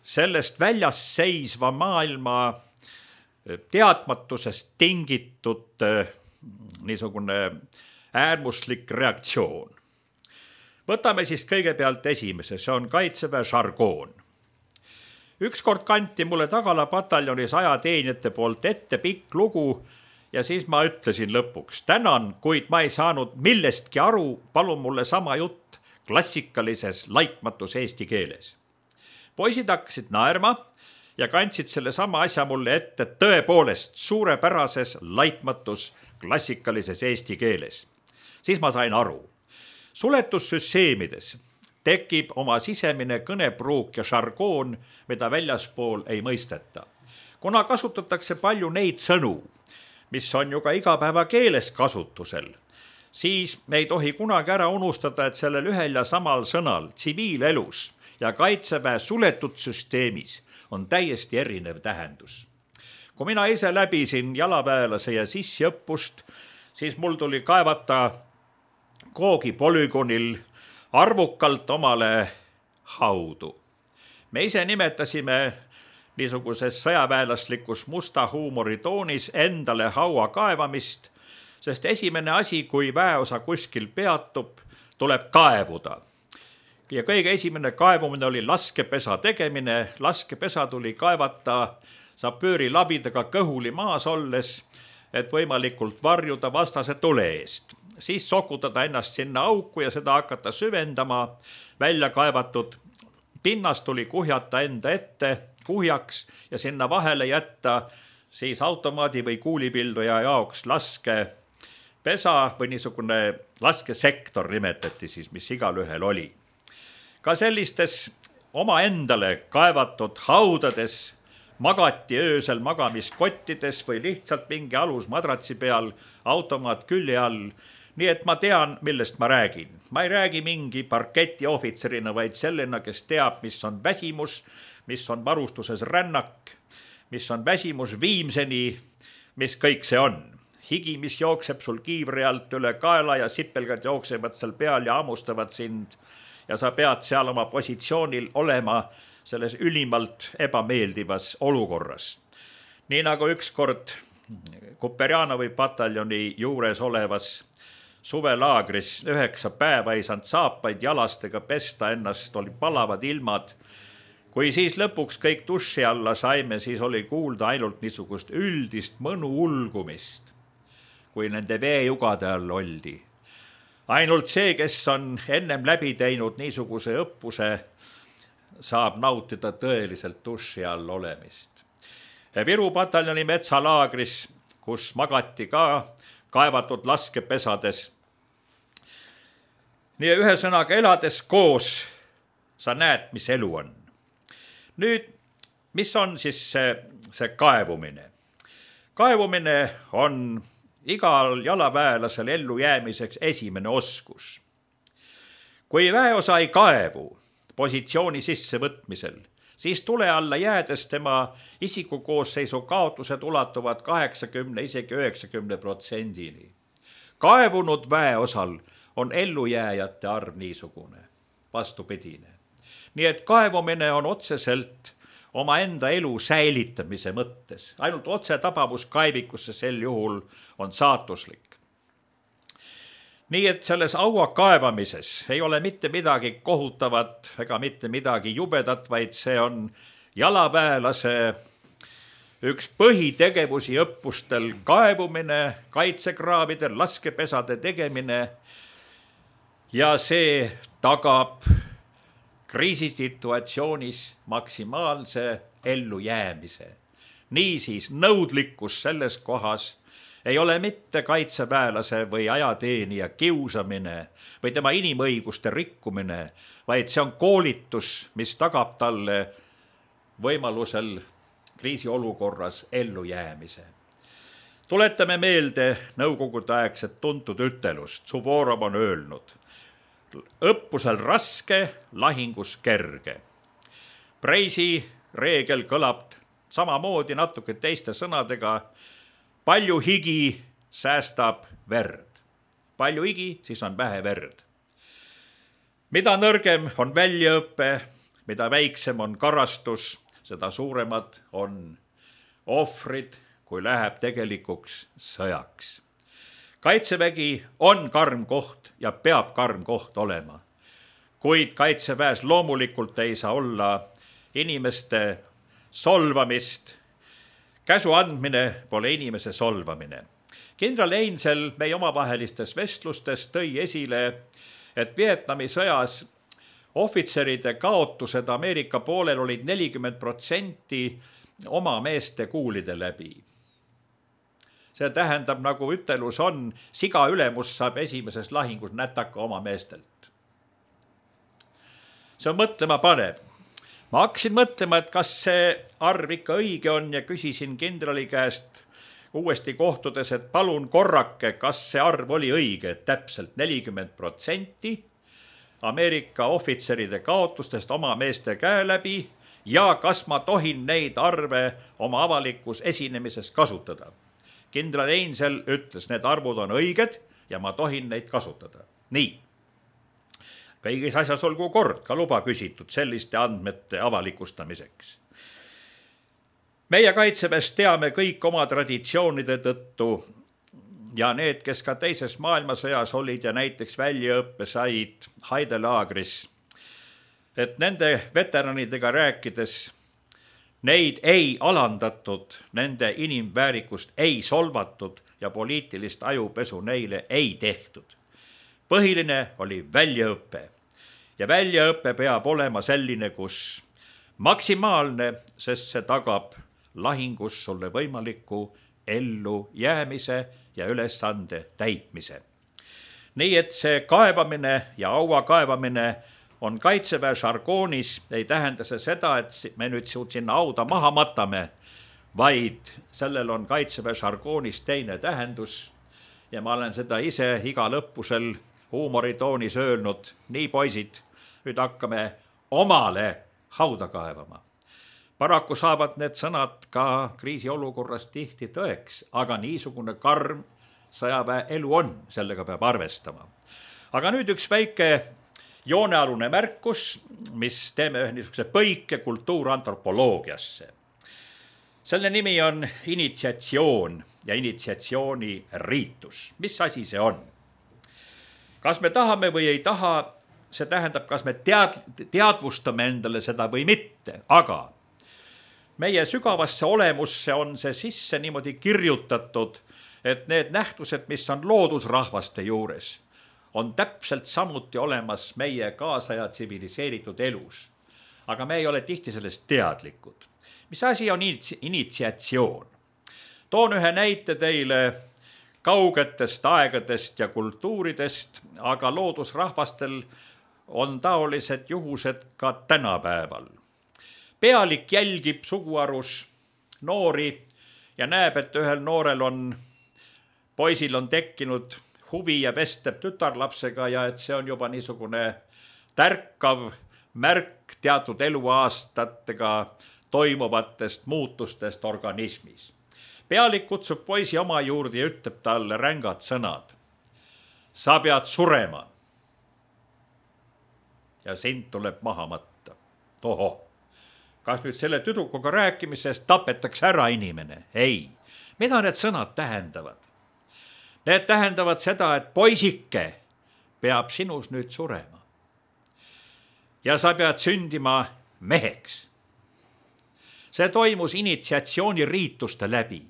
Speaker 4: sellest väljas seisva maailma teadmatusest tingitud niisugune äärmuslik reaktsioon. Võtame siis kõigepealt esimese, see on Kaitseväe žargoon. Ükskord kanti mulle Tagala pataljonis ajateenijate poolt ette pikk lugu ja siis ma ütlesin lõpuks, tänan, kuid ma ei saanud millestki aru, palun mulle sama jutt klassikalises laitmatus eesti keeles. Poisid hakkasid naerma ja kandsid selle sama asja mulle ette tõepoolest suurepärases laitmatus klassikalises eesti keeles. Siis ma sain aru. Suletussüsteemides tekib oma sisemine kõnepruuk ja žargoon, mida väljaspool ei mõisteta. Kuna kasutatakse palju neid sõnu, mis on ju ka igapäeva keeles kasutusel, siis me ei tohi kunagi ära unustada, et sellel ühel ja samal sõnal tsiviilelus ja Kaitseväe suletud süsteemis on täiesti erinev tähendus. Kui mina ise läbisin jalaväelase ja sissiõppust, siis mul tuli kaevata Koogi polügonil arvukalt omale haudu. Me ise nimetasime niisuguses sõjaväelaslikus musta huumoritoonis endale haua kaevamist, sest esimene asi, kui väeosa kuskil peatub, tuleb kaevuda. Ja kõige esimene kaevumine oli laskepesa tegemine. Laskepesa tuli kaevata sapööri labidaga kõhuli maas olles, et võimalikult varjuda vastase tule eest. Siis sokutada ennast sinna auku ja seda hakata süvendama. Välja kaevatud pinnas tuli kuhjata enda ette kuhjaks ja sinna vahele jätta siis automaadi või kuulipilduja jaoks laske pesa või niisugune laskesektor nimetati siis, mis igal ühel oli. Ka sellistes oma endale kaevatud haudades magati öösel magamiskottides või lihtsalt mingi alus madratsi peal, automaat külje all. Nii et ma tean, millest ma räägin. Ma ei räägi mingi parketi ohvitserina, vaid sellena, kes teab, mis on väsimus, mis on varustuses rännak, mis on väsimus viimseni, mis kõik see on. Higi, mis jookseb sul kiivri alt üle kaela ja sipelgad jooksevad seal peal ja ammustavad sind ja sa pead seal oma positsioonil olema selles ülimalt ebameeldivas olukorras. Nii nagu ükskord Kuperjanovi pataljoni juures olevas suvelaagris üheksa päeva ei saanud saapaid jalastega pesta, ennast oli palavad ilmad. Kui siis lõpuks kõik duši alla saime, siis oli kuulda ainult niisugust üldist mõnu ulgumist, kui nende veejugade all oldi. Ainult see, kes on ennem läbi teinud niisuguse õppuse, saab nautida tõeliselt duši all olemist. Viru pataljoni metsalaagris, kus magati ka kaevatud laskepesades. Nii ühesõnaga elades koos sa näed, mis elu on. Nüüd, mis on siis see, see kaevumine? Kaevumine on igal jalaväelasel ellu jäämiseks esimene oskus. Kui väeosa ei kaevu positsiooni sissevõtmisel, siis tule alla jäädes tema isikukoosseisu kaotused ulatuvad kaheksakümne, isegi üheksakümne protsendini. Kaevunud väeosal on ellujääjate arv niisugune, vastupidine. Nii et kaevumine on otseselt oma enda elu säilitamise mõttes. Ainult otse tabavus kaevikusse sel juhul on saatuslik. Nii et selles aua kaevamises ei ole mitte midagi kohutavat ega mitte midagi jubedat, vaid see on jalaväelase üks põhitegevusi õppustel kaevumine, kaitsekraavidel, laskepesade tegemine ja see tagab kriisisituatsioonis maksimaalse ellujäämise. Niisiis nõudlikkus selles kohas ei ole mitte kaitseväelase või ajateenija kiusamine või tema inimõiguste rikkumine, vaid see on koolitus, mis tagab talle võimalusel kriisiolukorras ellujäämise. Tuletame meelde nõukogude aegset tuntud ütelust. Suvorov on öelnud, õppusel raske, lahingus kerge. Preisi reegel kõlab samamoodi natuke teiste sõnadega. Palju higi säästab verd. Palju higi, siis on vähe verd. Mida nõrgem on väljaõppe, mida väiksem on karastus, seda suuremad on ohvrid, kui läheb tegelikuks sõjaks. Kaitsevägi on karm koht ja peab karm koht olema. Kuid kaitseväes loomulikult ei saa olla inimeste solvamist. Käsu andmine pole inimese solvamine. Kindral Einsel meie omavahelistes vestlustes tõi esile, et Vietnami sõjas ohvitseride kaotused Ameerika poolel olid nelikümmend protsenti oma meeste kuulide läbi. See tähendab, nagu ütelus on, siga ülemus saab esimeses lahingus nätaka oma meestelt. See on mõtlema panev. Ma hakkasin mõtlema, et kas see arv ikka õige on ja küsisin kindrali käest uuesti kohtudes, et palun korrake, kas see arv oli õige, et täpselt nelikümmend protsenti Ameerika ohvitseride kaotustest oma meeste käe läbi ja kas ma tohin neid arve oma avalikus esinemises kasutada. Kindral Einsel ütles, need arvud on õiged ja ma tohin neid kasutada. Nii. Kõigis asjas olgu kord, ka luba küsitud selliste andmete avalikustamiseks. Meie kaitseväes teame kõik oma traditsioonide tõttu ja need, kes ka teises maailmasõjas olid ja näiteks väljaõppe said Haidelaagris, et nende veteranidega rääkides neid ei alandatud, nende inimväärikust ei solvatud ja poliitilist ajupesu neile ei tehtud. Põhiline oli väljaõppe ja väljaõppe peab olema selline, kus maksimaalne, sest see tagab lahingus sulle võimaliku ellu jäämise ja ülesande täitmise. Nii et see kaevamine ja aua kaevamine on kaitseväe žargoonis, ei tähenda see seda, et me nüüd sinna auda maha matame, vaid sellel on kaitseväe žargoonis teine tähendus ja ma olen seda ise igal õppusel huumoritoonis öelnud, nii poisid, nüüd hakkame omale hauda kaevama. Paraku saavad need sõnad ka kriisiolukorras tihti tõeks, aga niisugune karm sõjaväe elu on, sellega peab arvestama. Aga nüüd üks väike joonealune märkus, mis teeme ühe niisuguse põike kultuurantropoloogiasse. Selle nimi on initsiatsioon ja initsiatsiooni riitus. Mis asi see on? Kas me tahame või ei taha, see tähendab, kas me tead, teadvustame endale seda või mitte, aga meie sügavasse olemusse on see sisse niimoodi kirjutatud, et need nähtused, mis on loodusrahvaste juures, on täpselt samuti olemas meie kaasaja tsiviliseeritud elus. Aga me ei ole tihti sellest teadlikud. Mis asi on initsiatsioon? Toon ühe näite teile kaugetest aegadest ja kultuuridest, aga loodusrahvastel on taolised juhused ka tänapäeval. Pealik jälgib suguarus noori ja näeb, et ühel noorel on, poisil on tekkinud huvi ja vestleb tütarlapsega ja et see on juba niisugune tärkav märk teatud eluaastatega toimuvatest muutustest organismis. Pealik kutsub poisi oma juurde ja ütleb talle rängad sõnad. Sa pead surema. Ja sind tuleb maha matta. Oho, kas nüüd selle tüdrukuga rääkimisest tapetakse ära inimene? Ei. Mida need sõnad tähendavad? Need tähendavad seda, et poisike peab sinus nüüd surema. Ja sa pead sündima meheks. see toimus initsiatsiooniriituste läbi.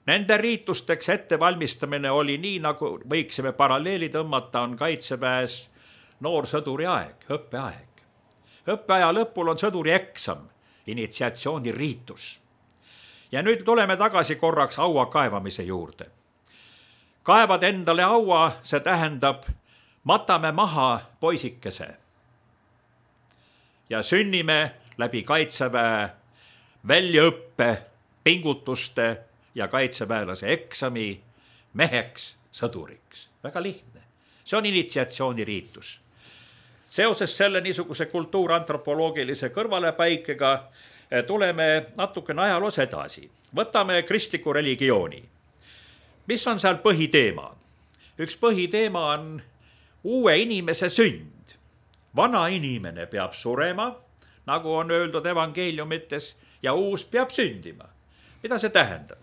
Speaker 4: Nende riitusteks ettevalmistamine oli nii, nagu võiksime paralleeli tõmmata, on kaitseväes noorsõduri aeg, õppeaeg. Õppeaja lõpul on sõduri eksam, initsiatsiooniriitus. Ja nüüd tuleme tagasi korraks aua kaevamise juurde. Kaevad endale aua, see tähendab, matame maha poisikese. Ja sünnime läbi kaitseväe väljaõppe, pingutuste ja kaitseväelase eksami meheks, sõduriks. Väga lihtne. See on initsiatsiooniriitus. Seoses selle niisuguse kultuurantropoloogilise kõrvalepaikega tuleme natukene ajaloos edasi. Võtame kristliku religiooni. Mis on seal põhiteema? Üks põhiteema on uue inimese sünd. Vana inimene peab surema, nagu on öeldud evangeeliumites, ja uus peab sündima. Mida see tähendab?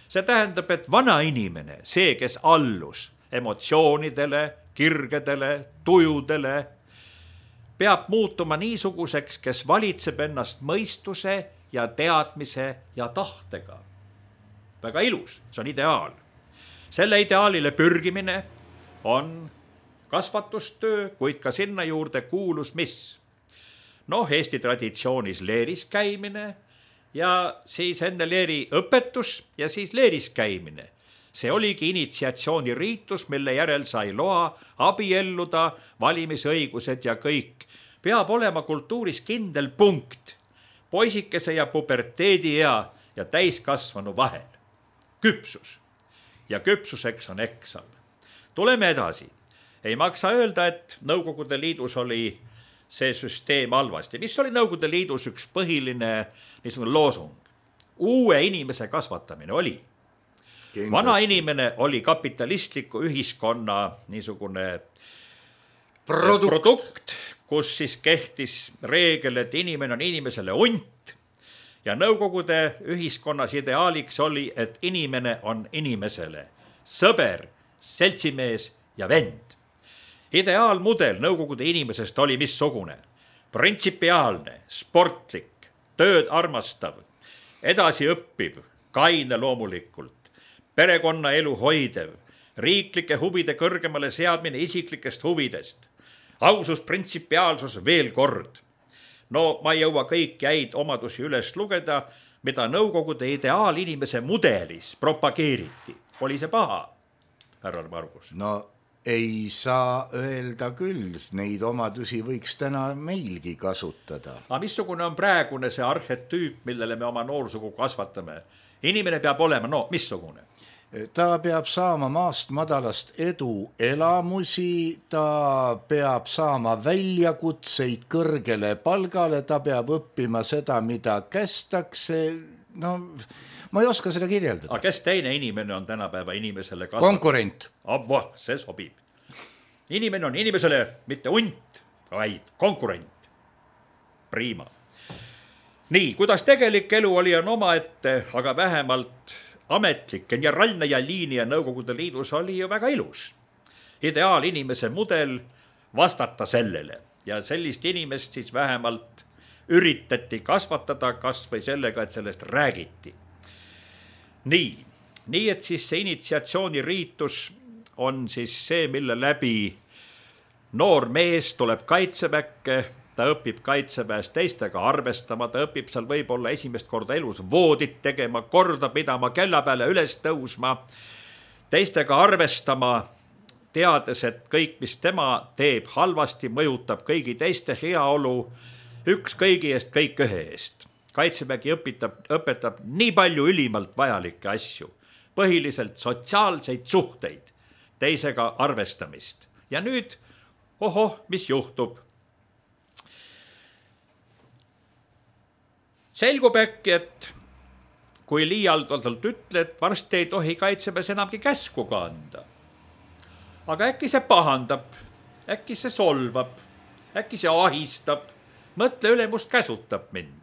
Speaker 4: See tähendab, et vana inimene, see, kes allus emotsioonidele, kirgedele, tujudele, peab muutuma niisuguseks, kes valitseb ennast mõistuse ja teadmise ja tahtega. Väga ilus, see on ideaal. Selle ideaalile pürgimine on kasvatustöö, kuid ka sinna juurde kuulus mis? Noh, Eesti traditsioonis leeris käimine ja siis enne leeri õpetus ja siis leeris käimine. See oligi initsiatsiooniriitus, mille järel sai loa abielluda, valimisõigused ja kõik. Peab olema kultuuris kindel punkt, poisikese ja puberteedi ea ja täiskasvanu vahel. Küpsus. Ja küpsuseks on eksam. Tuleme edasi. Ei maksa öelda, et Nõukogude Liidus oli see süsteem halvasti. Mis oli Nõukogude Liidus üks põhiline niisugune loosung? Uue inimese kasvatamine oli. Kindlasti. Vana inimene oli kapitalistliku ühiskonna niisugune produkt. produkt, kus siis kehtis reegel, et inimene on inimesele unt ja Nõukogude ühiskonnas ideaaliks oli, et inimene on inimesele sõber, seltsimees ja vend. Ideaalmudel Nõukogude inimesest oli missugune? Printsipiaalne, sportlik, tööd armastav, edasiõppiv, kaine loomulikult, perekonna elu hoidev, riiklike huvide kõrgemale seadmine isiklikest huvidest, ausus, printsipiaalsus veel kord. No ma ei jõua kõik jäid omadusi üles lugeda, mida Nõukogude ideaalinimese mudelis propageeriti. Oli see paha, härra Margus?
Speaker 5: No ei saa öelda küll, neid omadusi võiks täna meilgi kasutada.
Speaker 4: Aga missugune on praegune see arhetüüp, millele me oma noorsugu kasvatame? Inimene peab olema, no missugune?
Speaker 5: Ta peab saama maast madalast edu elamusi, ta peab saama väljakutseid kõrgele palgale, ta peab õppima seda, mida kästakse. No, ma ei oska seda kirjeldada.
Speaker 4: Aga kes teine inimene on tänapäeva inimesele kasvatada?
Speaker 5: Konkurent.
Speaker 4: Abba, see sobib. Inimene on inimesele mitte unt, vaid konkurent. Prima. Nii, kuidas tegelik elu oli on oma ette, aga vähemalt ametlik generaalne ja liinia Nõukogude Liidus oli ju väga ilus. Ideaal inimese mudel vastata sellele ja sellist inimest siis vähemalt üritati kasvatada kas või sellega, et sellest räägiti. Nii, nii et siis see initsiatsiooniriitus on siis see, mille läbi noor mees tuleb kaitseväkke, ta õpib kaitseväes teistega arvestama, ta õpib seal võib-olla esimest korda elus voodit tegema, korda pidama, kella peale üles tõusma, teistega arvestama, teades, et kõik, mis tema teeb halvasti, mõjutab kõigi teiste heaolu, üks kõigi eest, kõik ühe eest. Kaitsevägi õpetab, õpetab nii palju ülimalt vajalikke asju, põhiliselt sotsiaalseid suhteid, teisega arvestamist. Ja nüüd, ohoh, mis juhtub? Selgub äkki, et kui liialdavalt ütled, varsti ei tohi kaitseväes enamgi käsku ka anda. Aga äkki see pahandab, äkki see solvab, äkki see ahistab, mõtle ülemust käsutab mind.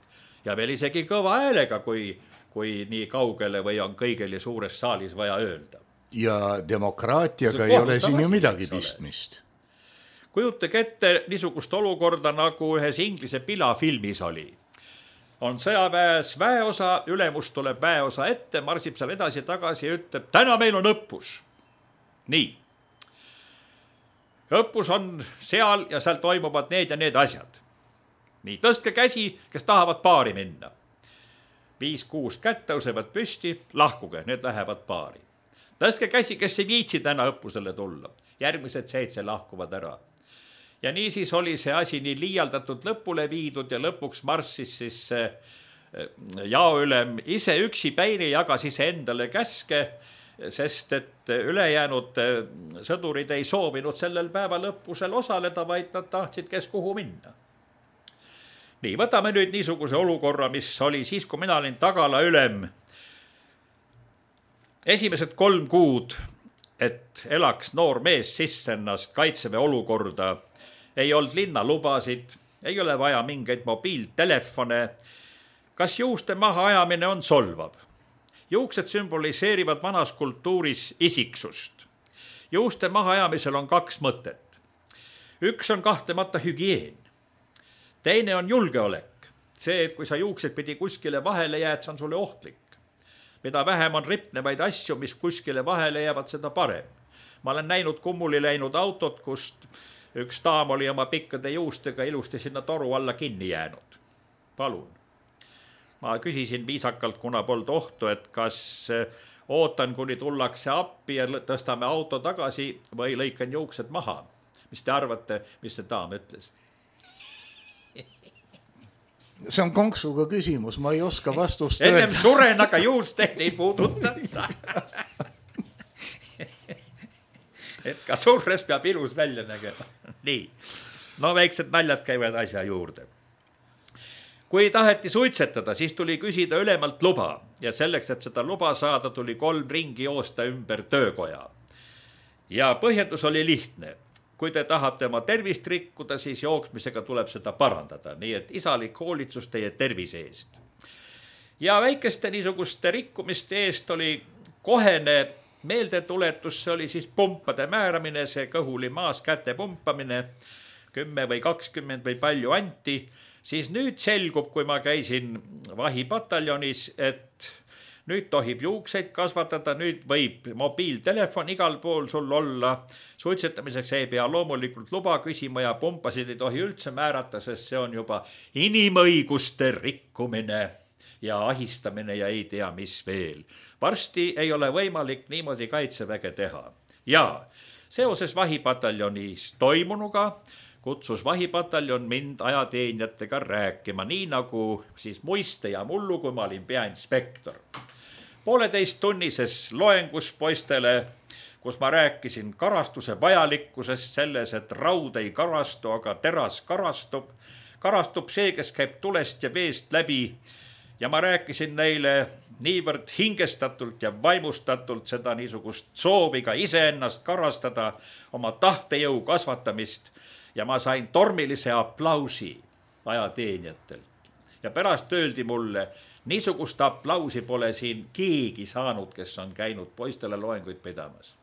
Speaker 4: Ja veel isegi kõva häälega, kui, kui nii kaugele või on kõigele suures saalis vaja öelda.
Speaker 5: Ja demokraatiaga ei ole siin ju midagi pistmist.
Speaker 4: Kujutage ette niisugust olukorda, nagu ühes inglise pilafilmis oli. on sõjaväes väeosa, ülemus tuleb väeosa ette, marsib seal edasi tagasi ja ütleb, täna meil on õppus. Nii. Õppus on seal ja seal toimuvad need ja need asjad. Nii, tõstke käsi, kes tahavad paari minna. Viis-kuus kätt tõusevad püsti, lahkuge, need lähevad paari. Tõstke käsi, kes ei viitsi täna õppusele tulla. Järgmised seitse lahkuvad ära. Ja niisiis oli see asi nii liialdatud lõpule viidud ja lõpuks marssis siis jaoülem ise üksi päini jagas ise endale käske, sest et ülejäänud sõdurid ei soovinud sellel päeval õppusel osaleda, vaid nad tahtsid kes kuhu minna. Nii, võtame nüüd niisuguse olukorra, mis oli siis, kui mina olin tagala ülem. Esimesed kolm kuud, et elaks noor mees sisse ennast kaitseväe olukorda, ei olnud linnalubasid, ei ole vaja mingeid mobiiltelefone. Kas juuste maha ajamine on solvav? Juuksed sümboliseerivad vanas kultuuris isiksust. Juuste maha ajamisel on kaks mõtet. Üks on kahtlemata hügieen. Teine on julgeolek. See, et kui sa juuksed pidi kuskile vahele jääd, see on sulle ohtlik. Mida vähem on ripnevaid asju, mis kuskile vahele jäävad, seda parem. Ma olen näinud kummuli läinud autot, kust üks daam oli oma pikkade juustega ilusti sinna toru alla kinni jäänud. Palun. Ma küsisin viisakalt, kuna polnud ohtu, et kas ootan, kuni tullakse appi ja tõstame auto tagasi või lõikan juuksed maha. Mis te arvate, mis see daam ütles?
Speaker 5: See on konksuga küsimus, ma ei oska vastust
Speaker 4: öelda.
Speaker 5: öelda.
Speaker 4: Ennem suren, aga juusteid ei puuduta. Et ka surres peab ilus välja nägema. Nii, no väiksed naljad käivad asja juurde. Kui taheti suitsetada, siis tuli küsida ülemalt luba ja selleks, et seda luba saada, tuli kolm ringi joosta ümber töökoja. Ja põhjendus oli lihtne. Kui te tahate oma tervist rikkuda, siis jooksmisega tuleb seda parandada, nii et isalik hoolitsus teie tervise eest. Ja väikeste niisuguste rikkumiste eest oli kohene meeldetuletus, see oli siis pumpade määramine, see kõhuli maas käte pumpamine, kümme või kakskümmend või palju anti, siis nüüd selgub, kui ma käisin vahipataljonis, et nüüd tohib juukseid kasvatada, nüüd võib mobiiltelefon igal pool sul olla. Suitsetamiseks ei pea loomulikult luba küsima ja pumpasid ei tohi üldse määrata, sest see on juba inimõiguste rikkumine ja ahistamine ja ei tea mis veel. Varsti ei ole võimalik niimoodi kaitseväge teha. Ja seoses vahipataljonis toimunuga kutsus vahipataljon mind ajateenijatega rääkima, nii nagu siis muiste ja mullu, kui ma olin peainspektor. Pooleteist tunnises loengus poistele, kus ma rääkisin karastuse vajalikkusest selles, et raud ei karastu, aga teras karastub. Karastub see, kes käib tulest ja veest läbi ja ma rääkisin neile niivõrd hingestatult ja vaimustatult seda niisugust soovi ka iseennast karastada, oma tahtejõu kasvatamist ja ma sain tormilise aplausi ajateenijatelt. Ja pärast öeldi mulle, niisugust aplausi pole siin keegi saanud, kes on käinud poistele loenguid pidamas.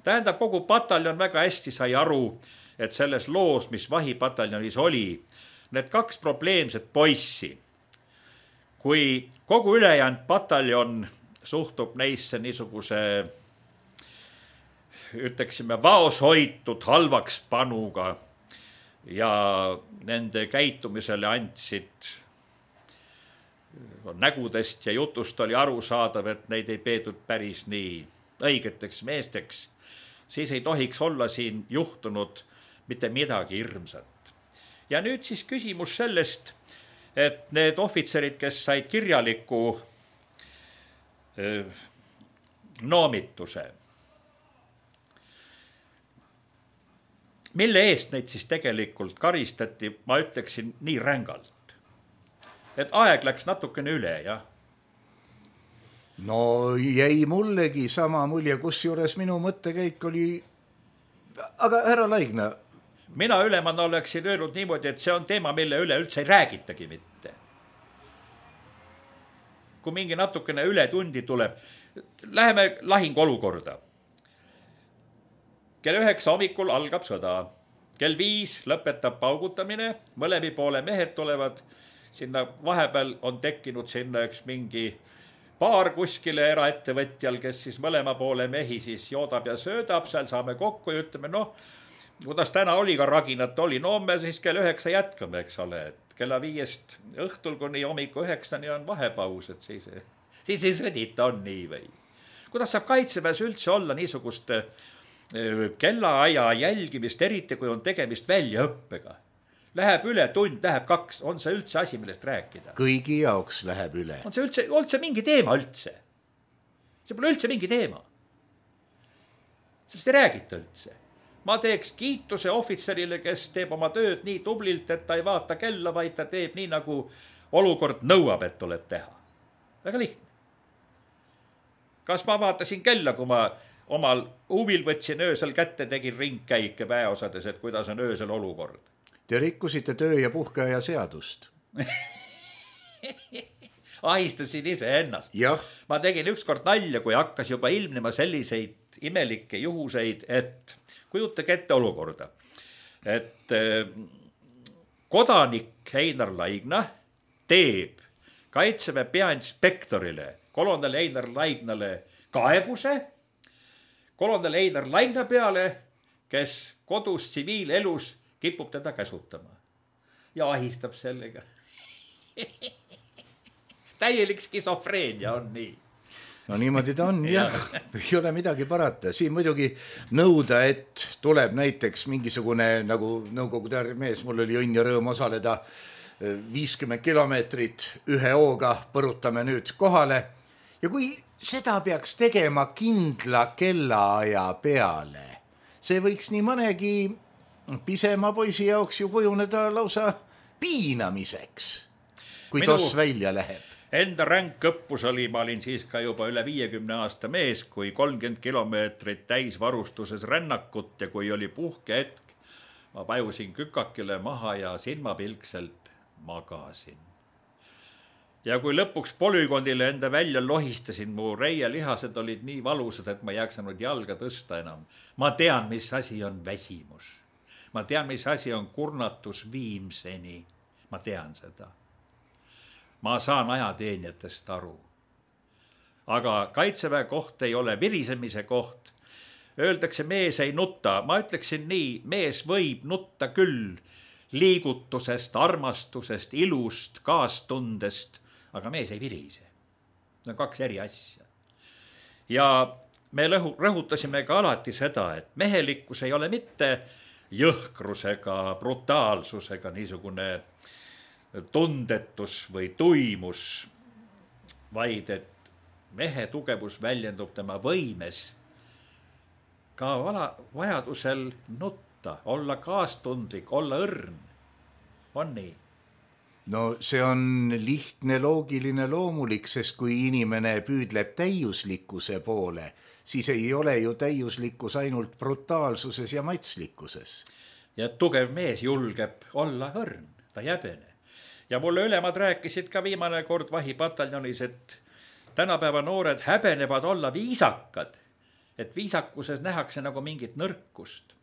Speaker 4: Tähendab, kogu pataljon väga hästi sai aru, et selles loos, mis vahipataljonis oli, need kaks probleemset poissi, kui kogu ülejäänud pataljon suhtub neisse niisuguse, ütleksime, vaoshoitud halvaks panuga ja nende käitumisele andsid nägudest ja jutust oli aru saadav, et neid ei peetud päris nii õigeteks meesteks, siis ei tohiks olla siin juhtunud mitte midagi hirmsat. Ja nüüd siis küsimus sellest, et need ohvitserid, kes said kirjaliku öö, noomituse, mille eest neid siis tegelikult karistati, ma ütleksin nii rängalt. Et aeg läks natukene üle, jah?
Speaker 5: No jäi mullegi sama mulje, kus juures minu mõttekäik oli, aga härra Laigna.
Speaker 4: Mina ülemana oleksin öelnud niimoodi, et see on teema, mille üle üldse ei räägitagi mitte. Kui mingi natukene üle tundi tuleb, läheme lahingu olukorda. Kell üheksa hommikul algab sõda. Kell viis lõpetab paugutamine, mõlemi poole mehed tulevad sinna vahepeal on tekkinud sinna üks mingi paar kuskile eraettevõtjal, kes siis mõlema poole mehi siis joodab ja söödab, seal saame kokku ja ütleme, noh, kuidas täna oli ka raginat oli, no me siis kell üheksa jätkame, eks ole, et kella viiest õhtul kuni hommiku üheksani on vahepaus, et siis, siis ei sõdita, on nii või. Kuidas saab kaitseväes üldse olla niisugust kellaaja jälgimist, eriti kui on tegemist väljaõppega? Läheb üle tund, läheb kaks, on see üldse asi, millest rääkida?
Speaker 5: Kõigi jaoks läheb üle.
Speaker 4: On see üldse, üldse mingi teema üldse? See pole üldse mingi teema. Sellest ei räägita üldse. Ma teeks kiituse ohvitserile, kes teeb oma tööd nii tublilt, et ta ei vaata kella, vaid ta teeb nii, nagu olukord nõuab, et tuleb teha. Väga lihtne. Kas ma vaatasin kella, kui ma omal huvil võtsin öösel kätte, tegin ringkäike väeosades, et kuidas on öösel olukord?
Speaker 5: Te rikkusite töö- ja puhkeaja seadust.
Speaker 4: Ahistasin ise ennast.
Speaker 5: Jah.
Speaker 4: Ma tegin ükskord nalja, kui hakkas juba ilmnema selliseid imelikke juhuseid, et kujutage ette olukorda, et kodanik Einar Laigna teeb Kaitseväe peainspektorile kolonel Einar Laignale kaebuse, kolonel Einar Laigna peale, kes kodus tsiviilelus kipub teda käsutama ja ahistab sellega. Täielik skisofreenia on nii.
Speaker 5: No niimoodi ta on, jah. Ei ole midagi parata. Siin muidugi nõuda, et tuleb näiteks mingisugune, nagu nõukogude mees, mul oli õnn ja rõõm osaleda viiskümmend kilomeetrit ühe hooga, põrutame nüüd kohale. Ja kui seda peaks tegema kindla kellaaja peale, see võiks nii mõnegi pisema poisi jaoks ju kujuneda lausa piinamiseks, kui Minu... tos välja läheb.
Speaker 4: Enda ränk õppus oli, ma olin siis ka juba üle viiekümne aasta mees, kui kolmkümmend kilomeetrit täisvarustuses rännakut ja kui oli puhkehetk, ma pajusin kükakile maha ja silmapilkselt magasin. Ja kui lõpuks polügoonile enda välja lohistasin, mu reielihased olid nii valusad, et ma ei jaksanud jalga tõsta enam. Ma tean, mis asi on väsimus. Ma tean, mis asi on kurnatus viimseni. Ma tean seda. Ma saan ajateenijatest aru. Aga Kaitseväe koht ei ole virisemise koht. Öeldakse, mees ei nutta. Ma ütleksin nii, mees võib nutta küll liigutusest, armastusest, ilust, kaastundest, aga mees ei virise. Need on kaks eri asja. Ja me rõhutasime ka alati seda, et mehelikkus ei ole mitte jõhkrusega, brutaalsusega, niisugune tundetus või tuimus, vaid et mehe tugevus väljendub tema võimes ka vajadusel nutta, olla kaastundlik, olla õrn. On nii?
Speaker 5: No see on lihtne, loogiline, loomulik, sest kui inimene püüdleb täiuslikkuse poole, siis ei ole ju täiuslikkus ainult brutaalsuses ja matslikkuses.
Speaker 4: Ja tugev mees julgeb olla õrn, ta jäbene. Ja mulle ülemad rääkisid ka viimane kord vahipataljonis, et tänapäeva noored häbenevad olla viisakad, et viisakuses nähakse nagu mingit nõrkust.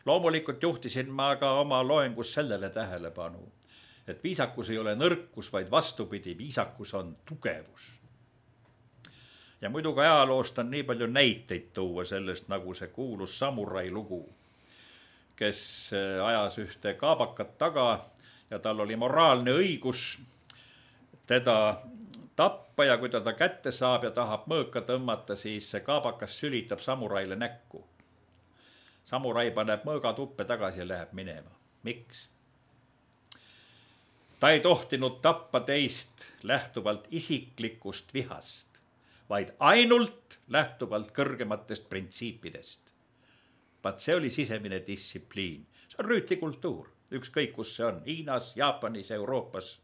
Speaker 4: Loomulikult juhtisin ma ka oma loengus sellele tähelepanu, et viisakus ei ole nõrkus, vaid vastupidi, viisakus on tugevus. Ja muidugi ajaloost on nii palju näiteid tuua sellest, nagu see kuulus samurai lugu, kes ajas ühte kaabakat taga ja tal oli moraalne õigus teda tappa ja kui ta ta kätte saab ja tahab mõõka tõmmata, siis see kaabakas sülitab samuraile näkku. Samurai paneb mõõga tuppe tagasi ja läheb minema. Miks? Ta ei tohtinud tappa teist lähtuvalt isiklikust vihast, vaid ainult lähtuvalt kõrgematest printsiipidest. Vaat see oli sisemine distsipliin. See on rüütlikultuur. Ükskõik, kus see on, Hiinas, Jaapanis, Euroopas.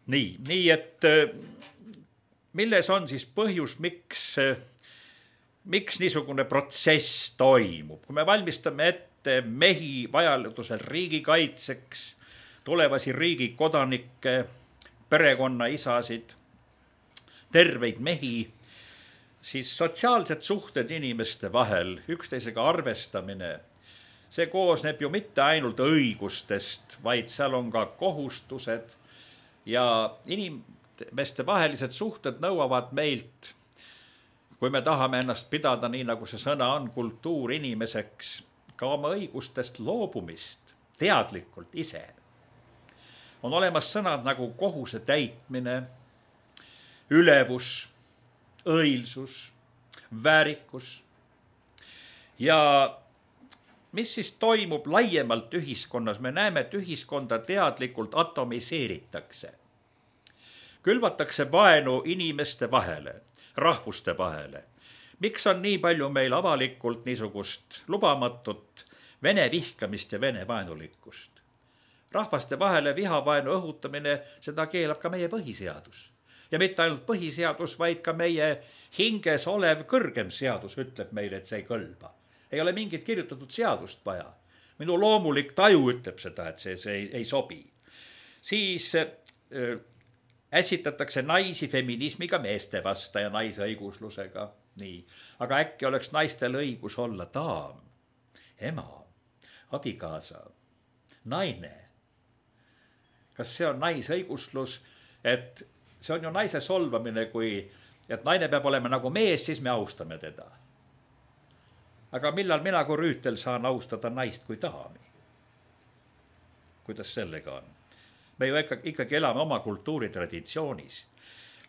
Speaker 4: Nii, nii et milles on siis põhjus, miks, miks niisugune protsess toimub? Kui me valmistame ette mehi vajadusel riigikaitseks, tulevasi riigi kodanikke, perekonna isasid, terveid mehi, siis sotsiaalsed suhted inimeste vahel, üksteisega arvestamine, see koosneb ju mitte ainult õigustest, vaid seal on ka kohustused, ja inimeste vahelised suhted nõuavad meilt, kui me tahame ennast pidada nii, nagu see sõna on, kultuur inimeseks, ka oma õigustest loobumist teadlikult ise. On olemas sõnad nagu kohuse täitmine, ülevus, õilsus, väärikus. Ja mis siis toimub laiemalt ühiskonnas? Me näeme, et ühiskonda teadlikult atomiseeritakse. Külvatakse vaenu inimeste vahele, rahvuste vahele. Miks on nii palju meil avalikult niisugust lubamatut vene vihkamist ja vene vaenulikkust? Rahvaste vahele vihavaenu õhutamine, seda keelab ka meie põhiseadus. Ja mitte ainult põhiseadus, vaid ka meie hinges olev kõrgem seadus ütleb meile, et see ei kõlba. Ei ole mingit kirjutatud seadust vaja. Minu loomulik taju ütleb seda, et see, see ei, ei sobi. Siis äh, ässitatakse naisi feminismiga meeste vasta ja naisõiguslusega. Nii. Aga äkki oleks naistel õigus olla daam, ema, abikaasa, naine. Kas see on naisõiguslus, et see on ju naise solvamine, kui et naine peab olema nagu mees, siis me austame teda. Aga millal mina kui Rüütel saan austada naist kui daami? Kuidas sellega on? Me ju ikkagi elame oma kultuuritraditioonis.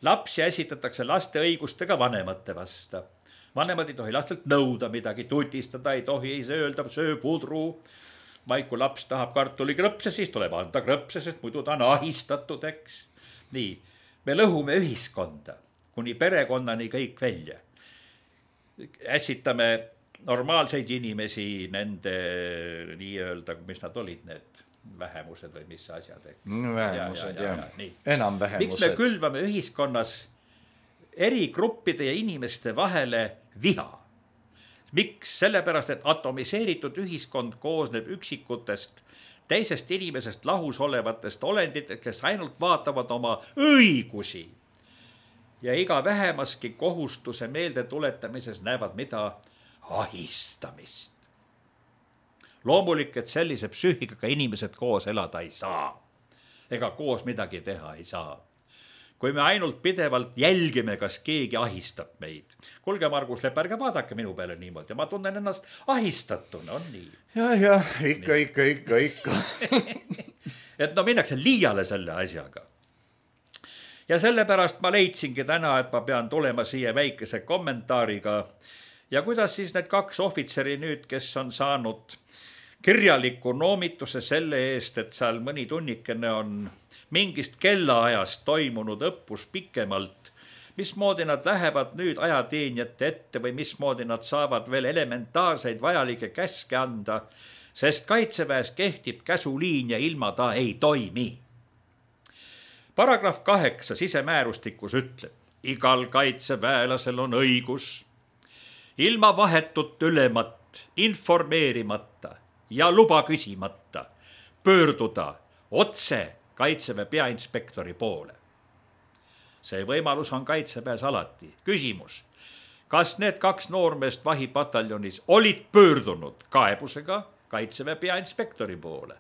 Speaker 4: Lapsi esitatakse laste õigustega vanemate vasta. Vanemad ei tohi lastelt nõuda midagi, tutistada ei tohi, ei öelda, söö pudru. Vaid kui laps tahab kartuli krõpse, siis tuleb anda krõpse, sest muidu ta on ahistatud, eks. Nii, me lõhume ühiskonda, kuni perekonnani kõik välja. Ässitame normaalseid inimesi, nende nii-öelda, mis nad olid, need vähemused või mis asjad.
Speaker 5: Vähemused, jah. Enam vähemused.
Speaker 4: Miks me külvame ühiskonnas eri gruppide ja inimeste vahele viha? Miks? Sellepärast, et atomiseeritud ühiskond koosneb üksikutest, teisest inimesest lahus olevatest olenditest, kes ainult vaatavad oma õigusi. Ja iga vähemaski kohustuse meelde tuletamises näevad mida ahistamist. Loomulik, et sellise psüühikaga inimesed koos elada ei saa. Ega koos midagi teha ei saa. Kui me ainult pidevalt jälgime, kas keegi ahistab meid. Kulge, Margus Lepp, ärge vaadake minu peale niimoodi. Ma tunnen ennast ahistatuna, on nii.
Speaker 5: Ja, ja, ikka, ikka, ikka, ikka.
Speaker 4: Et no minnakse liiale selle asjaga. Ja sellepärast ma leidsingi täna, et ma pean tulema siia väikese kommentaariga. Ja kuidas siis need kaks ohvitseri nüüd, kes on saanud kirjaliku noomituse selle eest, et seal mõni tunnikene on mingist kellaajast toimunud õppus pikemalt, mismoodi nad lähevad nüüd ajateenijate ette või mismoodi nad saavad veel elementaarseid vajalike käske anda, sest kaitseväes kehtib käsuliin ja ilma ta ei toimi. Paragrahv kaheksa sisemäärustikus ütleb, igal kaitseväelasel on õigus ilma vahetut ülemat, informeerimata ja luba küsimata pöörduda otse kaitseväe peainspektori poole. See võimalus on kaitseväes alati. Küsimus, kas need kaks noormeest vahipataljonis olid pöördunud kaebusega kaitseväe peainspektori poole?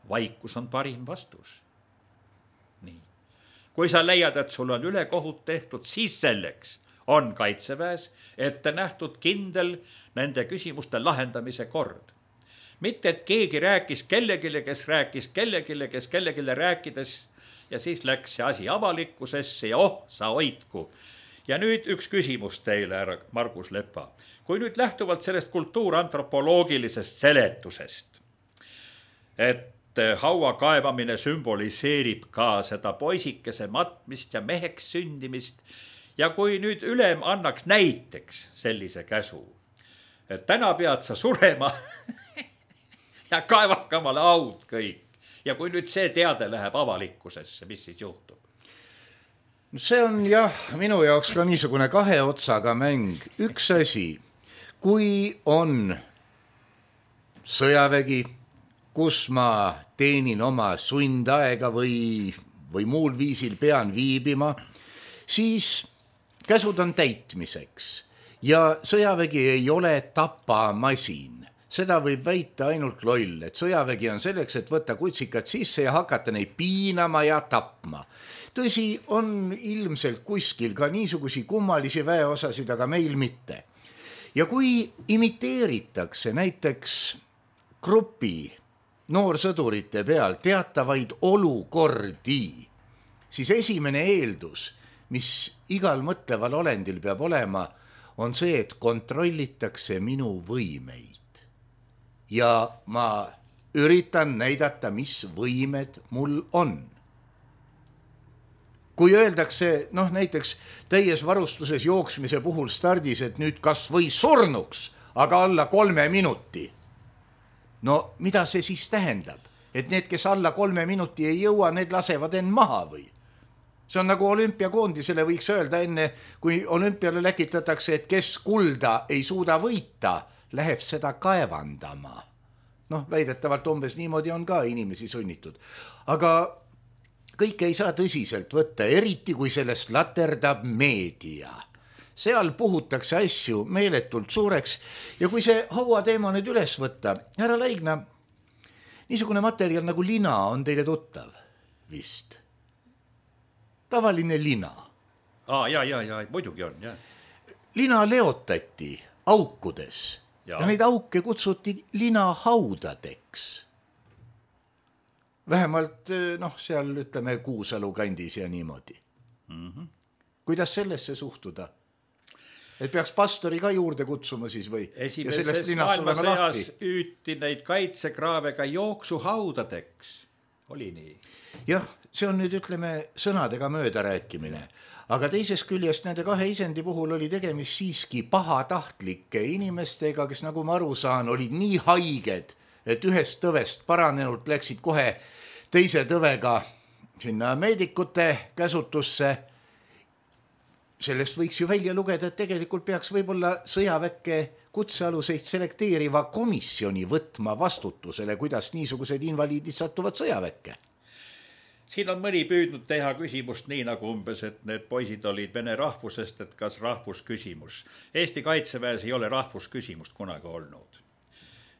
Speaker 4: Vaikus on parim vastus. Nii. Kui sa leiad, et sul on ülekohut tehtud, siis selleks on kaitseväes ette nähtud kindel nende küsimuste lahendamise kord. Mitte, et keegi rääkis kellegile, kes rääkis kellegile, kes kellegile rääkides ja siis läks see asi avalikkusesse ja oh, sa hoidku. Ja nüüd üks küsimus teile, härra Margus Lepa. Kui nüüd lähtuvalt sellest kultuurantropoloogilisest seletusest, et haua kaevamine sümboliseerib ka seda poisikese matmist ja meheks sündimist, ja kui nüüd ülem annaks näiteks sellise käsu, et täna pead sa surema ja kaevake omale haud kõik. Ja kui nüüd see teade läheb avalikkusesse, mis siis juhtub?
Speaker 5: See on jah, minu jaoks ka niisugune kahe otsaga mäng. Üks asi, kui on sõjavägi, kus ma teenin oma sundaega või, või muul viisil pean viibima, siis käsud on täitmiseks ja sõjavägi ei ole tapamasin. seda võib väita ainult loll, et sõjavägi on selleks, et võtta kutsikad sisse ja hakata neid piinama ja tapma. Tõsi, on ilmselt kuskil ka niisugusi kummalisi väeosasid, aga meil mitte. Ja kui imiteeritakse näiteks grupi noorsõdurite peal teatavaid olukordi, siis esimene eeldus, mis igal mõtleval olendil peab olema, on see, et kontrollitakse minu võimeid. Ja ma üritan näidata, mis võimed mul on. Kui öeldakse, noh näiteks täies varustuses jooksmise puhul stardis, et nüüd kas või surnuks, aga alla kolme minuti. No mida see siis tähendab? Et need, kes alla kolme minuti ei jõua, need lasevad end maha või? See on nagu olümpiakoondisele võiks öelda enne, kui olümpiale läkitatakse, et kes kulda ei suuda võita, läheb seda kaevandama. Noh, väidetavalt umbes niimoodi on ka inimesi sunnitud. Aga kõike ei saa tõsiselt võtta, eriti kui sellest laterdab meedia. Seal puhutakse asju meeletult suureks ja kui see hauateema nüüd üles võtta, härra Laigna, niisugune materjal nagu lina on teile tuttav vist. Tavaline lina.
Speaker 4: Aa, ja, ja, ja, muidugi on, ja.
Speaker 5: Lina leotati aukudes ja, ja neid auke kutsuti linahaudadeks. Vähemalt, noh, seal ütleme Kuusalu kandis ja niimoodi. Mm-hmm. Kuidas sellesse suhtuda? Et peaks pastori ka juurde kutsuma siis või?
Speaker 4: Esimeses maailmasõjas üüti neid kaitsekraave ka jooksuhaudadeks. Oli nii?
Speaker 5: Jah, see on nüüd, ütleme, sõnadega mööda rääkimine. Aga teises küljest nende kahe isendi puhul oli tegemist siiski pahatahtlike inimestega, kes, nagu ma aru saan, olid nii haiged, et ühest tõvest paranenult läksid kohe teise tõvega sinna meedikute käsutusse. Sellest võiks ju välja lugeda, et tegelikult peaks võib-olla sõjaväkke kutsealuseid selekteeriva komisjoni võtma vastutusele, kuidas niisugused invaliidid satuvad sõjaväkke.
Speaker 4: Siin on mõni püüdnud teha küsimust nii nagu umbes, et need poisid olid vene rahvusest, et kas rahvusküsimus. Eesti kaitseväes ei ole rahvusküsimust kunagi olnud.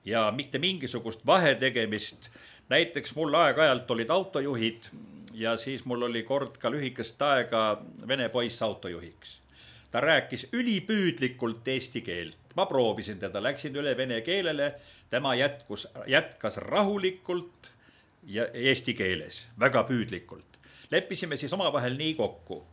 Speaker 4: Ja mitte mingisugust vahetegemist. Näiteks mul aeg-ajalt olid autojuhid ja siis mul oli kord ka lühikest aega vene poiss autojuhiks. Ta rääkis ülipüüdlikult eesti keelt. Ma proovisin teda, läksin üle vene keelele, tema jätkus, jätkas rahulikult ja eesti keeles, väga püüdlikult. Leppisime siis omavahel nii kokku.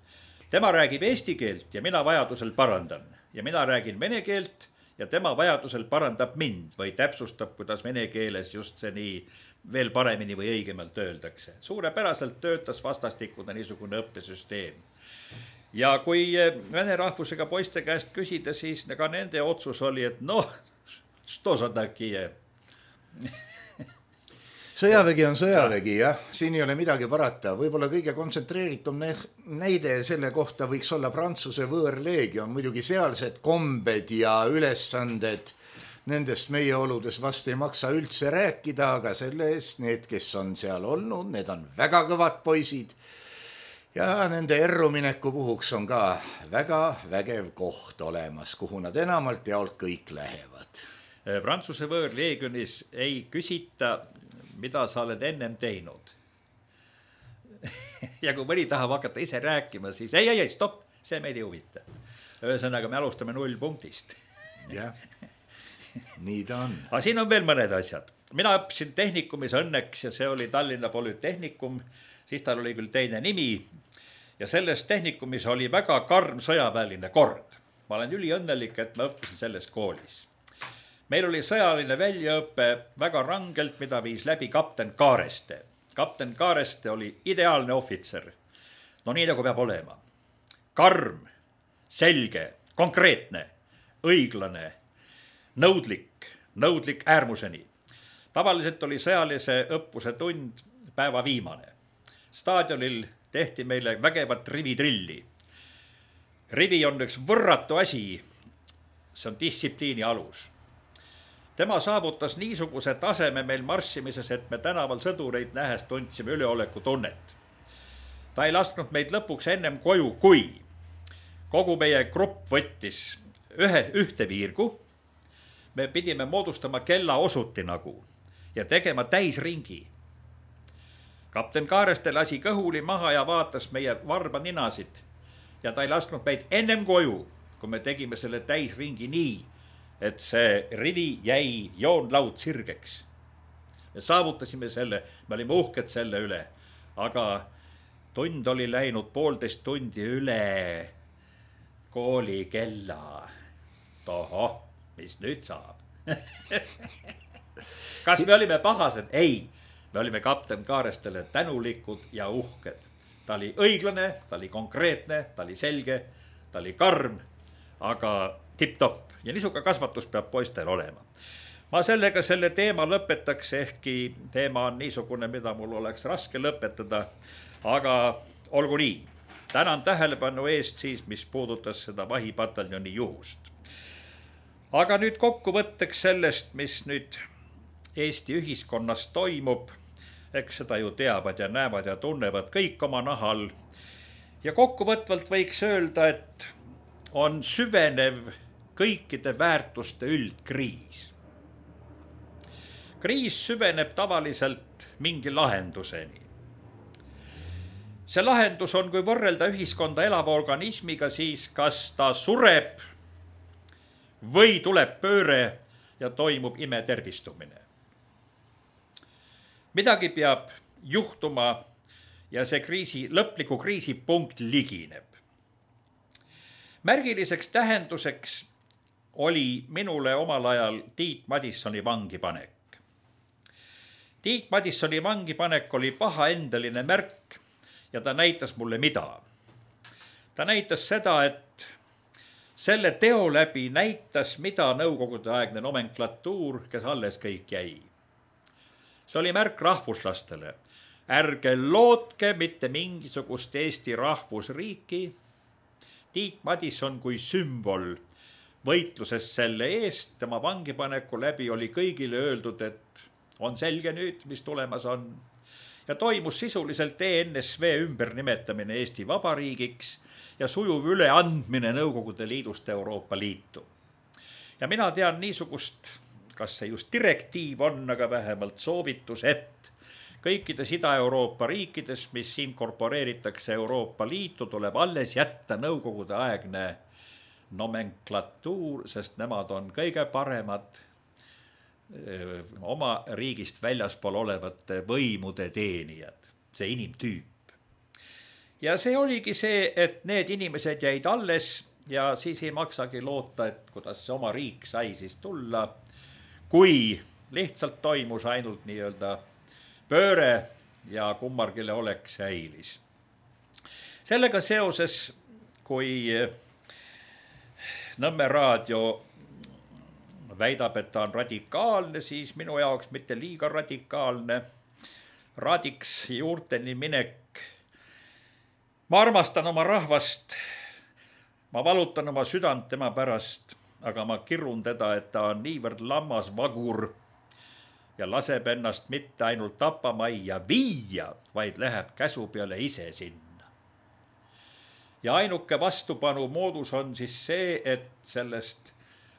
Speaker 4: Tema räägib eesti keelt ja mina vajadusel parandan. Ja mina räägin vene keelt ja tema vajadusel parandab mind või täpsustab, kuidas vene keeles just see nii veel paremini või õigemalt öeldakse. Suurepäraselt töötas vastastikune niisugune õppesüsteem. Ja kui vene rahvusega poiste käest küsida, siis ka nende otsus oli, et noh, što sa takie.
Speaker 5: Sõjavägi on sõjavägi, jah. Siin ei ole midagi parata. Võib-olla kõige kontsentreeritum näide selle kohta võiks olla Prantsuse võõrleegion. Muidugi sealsed kombed ja ülesanded, nendest meie oludes vast ei maksa üldse rääkida, aga selle eest need, kes on seal olnud, need on väga kõvad poisid. Ja nende errumineku puhuks on ka väga vägev koht olemas, kuhu nad enamalt jaolt kõik lähevad.
Speaker 4: Prantsuse võõrleegionis ei küsita, mida sa oled ennem teinud. Ja kui mõni tahab hakata ise rääkima, siis ei, ei, ei, stopp, see meid ei huvita. Ühesõnaga, me alustame null punktist.
Speaker 5: Jah, nii ta on.
Speaker 4: Aga siin on veel mõned asjad. Mina õppisin tehnikumis õnneks ja see oli Tallinna Polütehnikum, siis tal oli küll teine nimi ja selles tehnikumis oli väga karm sõjaväeline kord. Ma olen üli õnnelik, et ma õppisin selles koolis. Meil oli sõjaline väljaõppe väga rangelt, mida viis läbi kapten Kaareste. Kapten Kaareste oli ideaalne ohvitser. No nii nagu peab olema. Karm, selge, konkreetne, õiglane, nõudlik, nõudlik äärmuseni. Tavaliselt oli sõjalise õppuse tund päeva viimane. Staadionil tehti meile vägevat rivitrilli. Rivi on üks võrratu asi, see on distsipliini alus. Tema saavutas niisuguse taseme meil marssimises, et me tänaval sõdureid nähes tundsime üleoleku tunnet. Ta ei lasknud meid lõpuks ennem koju, kui kogu meie grupp võttis ühe, ühte viirgu, me pidime moodustama kellaosuti nagu ja tegema täisringi. Kapten Kaareste lasi kõhuli maha ja vaatas meie varba ninasid ja ta ei lasknud meid ennem koju, kui me tegime selle täisringi nii, et see rivi jäi joonlaud sirgeks. Me saavutasime selle, me olime uhked selle üle, aga tund oli läinud poolteist tundi üle kooli kella. Tohoh, mis nüüd saab? Kas me olime pahased? Ei, me olime kapten Kaarestele tänulikud ja uhked. Ta oli õiglane, ta oli konkreetne, ta oli selge, ta oli karm, aga tipp-topp. Ja niisuga kasvatus peab poistel olema. Ma sellega selle teema lõpetaks, ehkki teema on niisugune, mida mul oleks raske lõpetada, aga olgu nii. Tänan tähelepanu eest siis, mis puudutas seda vahipataljoni juhust. Aga nüüd kokkuvõtteks sellest, mis nüüd Eesti ühiskonnas toimub, eks seda ju teavad ja näevad ja tunnevad kõik oma nahal. Ja kokkuvõtvalt võiks öelda, et on süvenev kõikide väärtuste üldkriis. Kriis süveneb tavaliselt mingi lahenduseni. See lahendus on, kui võrrelda ühiskonda elava organismiga, siis kas ta sureb või tuleb pööre ja toimub imetervistumine. Midagi peab juhtuma ja see kriisi, lõpliku kriisipunkt ligineb. Märgiliseks tähenduseks oli minule omal ajal Tiit Madissoni vangipanek. Tiit Madissoni vangipanek oli pahaendeline märk ja ta näitas mulle mida. Ta näitas seda, et selle teo läbi näitas, mida nõukogude aegne nomenklatuur, kes alles kõik jäi. See oli märk rahvuslastele. Ärge lootke mitte mingisugust Eesti rahvusriiki. Tiit Madisson kui sümbol võitluses selle eest, tema vangipaneku läbi oli kõigile öeldud, et on selge nüüd, mis tulemas on. Ja toimus sisuliselt E N S V ümbernimetamine Eesti Vabariigiks ja sujuv üleandmine Nõukogude Liidust Euroopa Liitu. Ja mina tean niisugust, kas see just direktiiv on, aga vähemalt soovitus, et kõikides Ida-Euroopa riikides, mis inkorporeeritakse Euroopa Liitu, tuleb alles jätta Nõukogude aegne nomenklatuur, sest nemad on kõige paremad öö, oma riigist väljaspool olevate võimude teenijad, see inimtüüp. Ja see oligi see, et need inimesed jäid alles ja siis ei maksagi loota, et kuidas see oma riik sai siis tulla, kui lihtsalt toimus ainult nii-öelda pööre ja kummargile oleks säilis. Sellega seoses, kui Nõmme raadio väidab, et ta on radikaalne, siis minu jaoks mitte liiga radikaalne. Raadiks juurteni minek. Ma armastan oma rahvast, ma valutan oma südant tema pärast, aga ma kirun teda, et ta on niivõrd lammas vagur ja laseb ennast mitte ainult tapamajja viia, vaid läheb käsu peale ise sinna. Ja ainuke vastupanu moodus on siis see, et sellest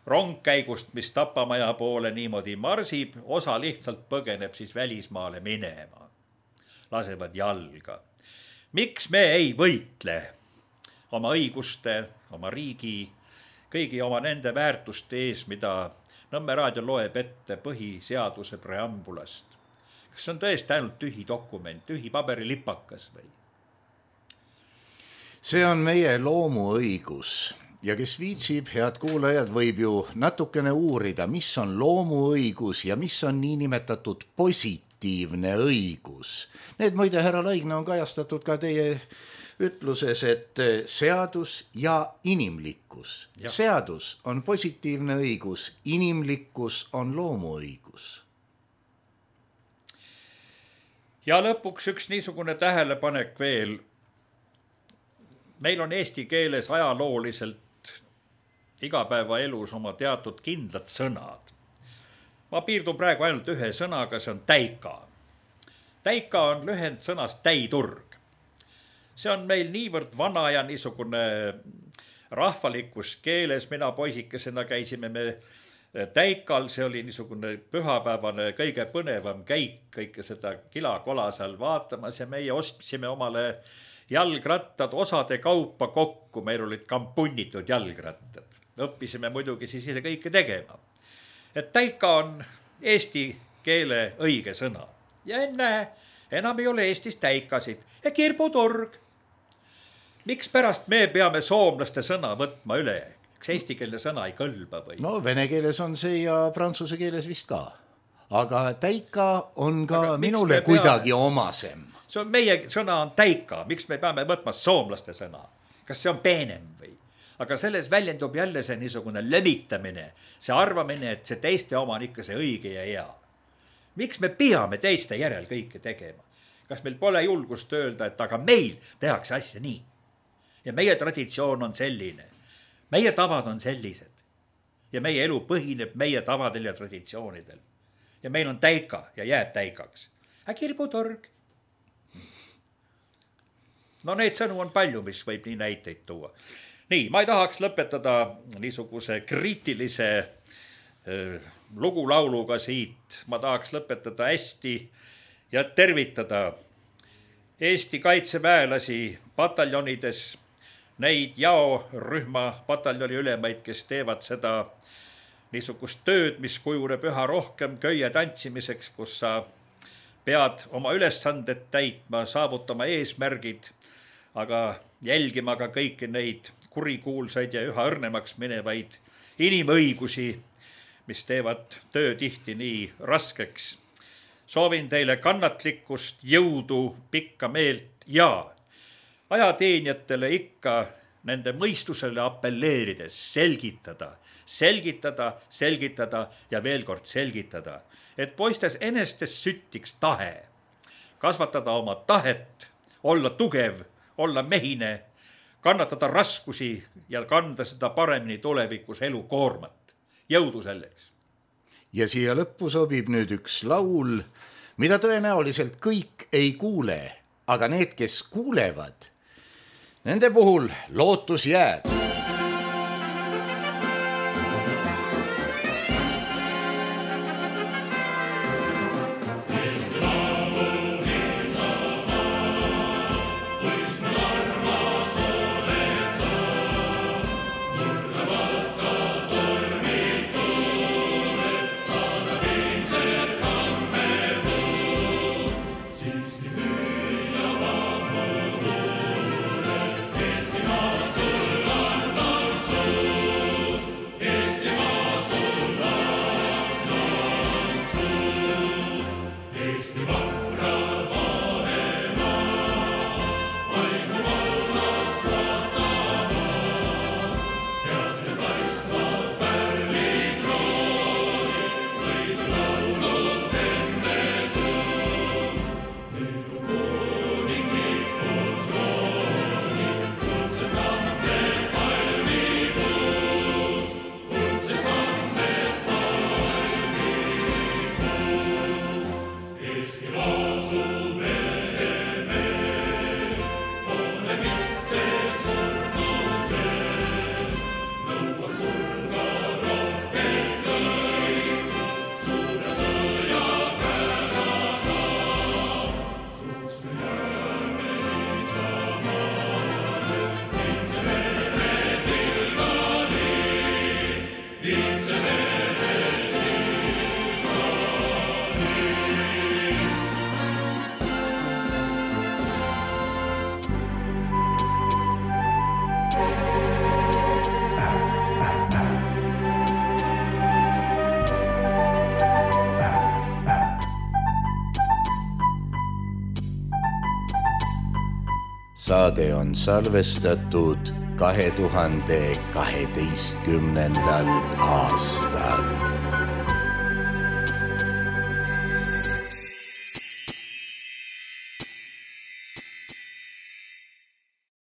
Speaker 4: rongkäigust, mis tapamaja poole niimoodi marsib, osa lihtsalt põgeneb siis välismaale minema. Lasevad jalga. Miks me ei võitle oma õiguste, oma riigi, kõigi oma nende väärtuste ees, mida Nõmme raadio loeb ette põhiseaduse preambulast? Kas see on tõesti ainult tühi dokument, tühi paberilipakas või?
Speaker 5: See on meie loomuõigus ja kes viitsib, head kuulajad, võib ju natukene uurida, mis on loomuõigus ja mis on niinimetatud positiivne õigus. Need muide, härra Laigna, on kajastatud ka teie ütluses, et seadus ja inimlikkus. Ja. Seadus on positiivne õigus, inimlikkus on loomuõigus.
Speaker 4: Ja lõpuks üks niisugune tähelepanek veel. Meil on eesti keeles ajalooliselt igapäevaelus oma teatud kindlad sõnad. Ma piirdun praegu ainult ühe sõnaga, see on täika. Täika on lühend sõnast täiturg. See on meil niivõrd vana ja niisugune rahvalikus keeles. Mina poisikesena käisime me Täikal see oli niisugune pühapäevane kõige põnevam käik, kõike seda kilakola seal vaatamas ja meie ostsime omale jalgrattad osade kaupa kokku, meil olid kampunnitud jalgrattad. Õppisime muidugi siis ise kõike tegema. Et täika on eesti keele õige sõna. Ja enne enam ei ole Eestis täikasid ja kirbuturg. Miks pärast me peame soomlaste sõna võtma üle? Kas eestikeelne sõna ei kõlba või?
Speaker 5: No vene keeles on see ja prantsuse keeles vist ka. Aga täika on ka Aga minule kuidagi peame? Omasem.
Speaker 4: See on meie sõna on täika. Miks me peame võtma soomlaste sõna? Kas see on peenem või? Aga selles väljendub jälle see niisugune levitamine. See arvamine, et see teiste oma on ikka see õige ja hea. Miks me peame teiste järel kõike tegema? Kas meil pole julgust öelda, et aga meil tehakse asja nii? Ja meie traditsioon on selline. Meie tavad on sellised ja meie elu põhineb meie tavadel ja traditsioonidel. Ja meil on täika ja jääb täikaks. Aga kirbutorg. No neid sõnu on palju, mis võib nii näiteid tuua. Nii, ma ei tahaks lõpetada niisuguse kriitilise äh, lugulauluga siit. Ma tahaks lõpetada hästi ja tervitada Eesti kaitseväelasi pataljonides, neid jaorühma pataljoni ülemaid, kes teevad seda niisugust tööd, mis kujuneb üha rohkem köie tantsimiseks, kus sa pead oma ülesanded täitma, saavutama eesmärgid, aga jälgima ka kõiki neid kurikuulsaid ja üha õrnemaks minevaid inimõigusi, mis teevad töö tihti nii raskeks. Soovin teile kannatlikkust, jõudu, pikka meelt ja ajateenijatele ikka nende mõistusele appelleerides selgitada, selgitada, selgitada ja veel kord selgitada, et poistes enestes süttiks tahe, kasvatada oma tahet, olla tugev, olla mehine, kannatada raskusi ja kanda seda paremini tulevikus elukoormat. Jõudu selleks.
Speaker 5: Ja siia lõppu sobib nüüd üks laul, mida tõenäoliselt kõik ei kuule, aga need, kes kuulevad, nende puhul lootus jääb. Saade on salvestatud kahe tuhande kaheteistkümnendal aastal.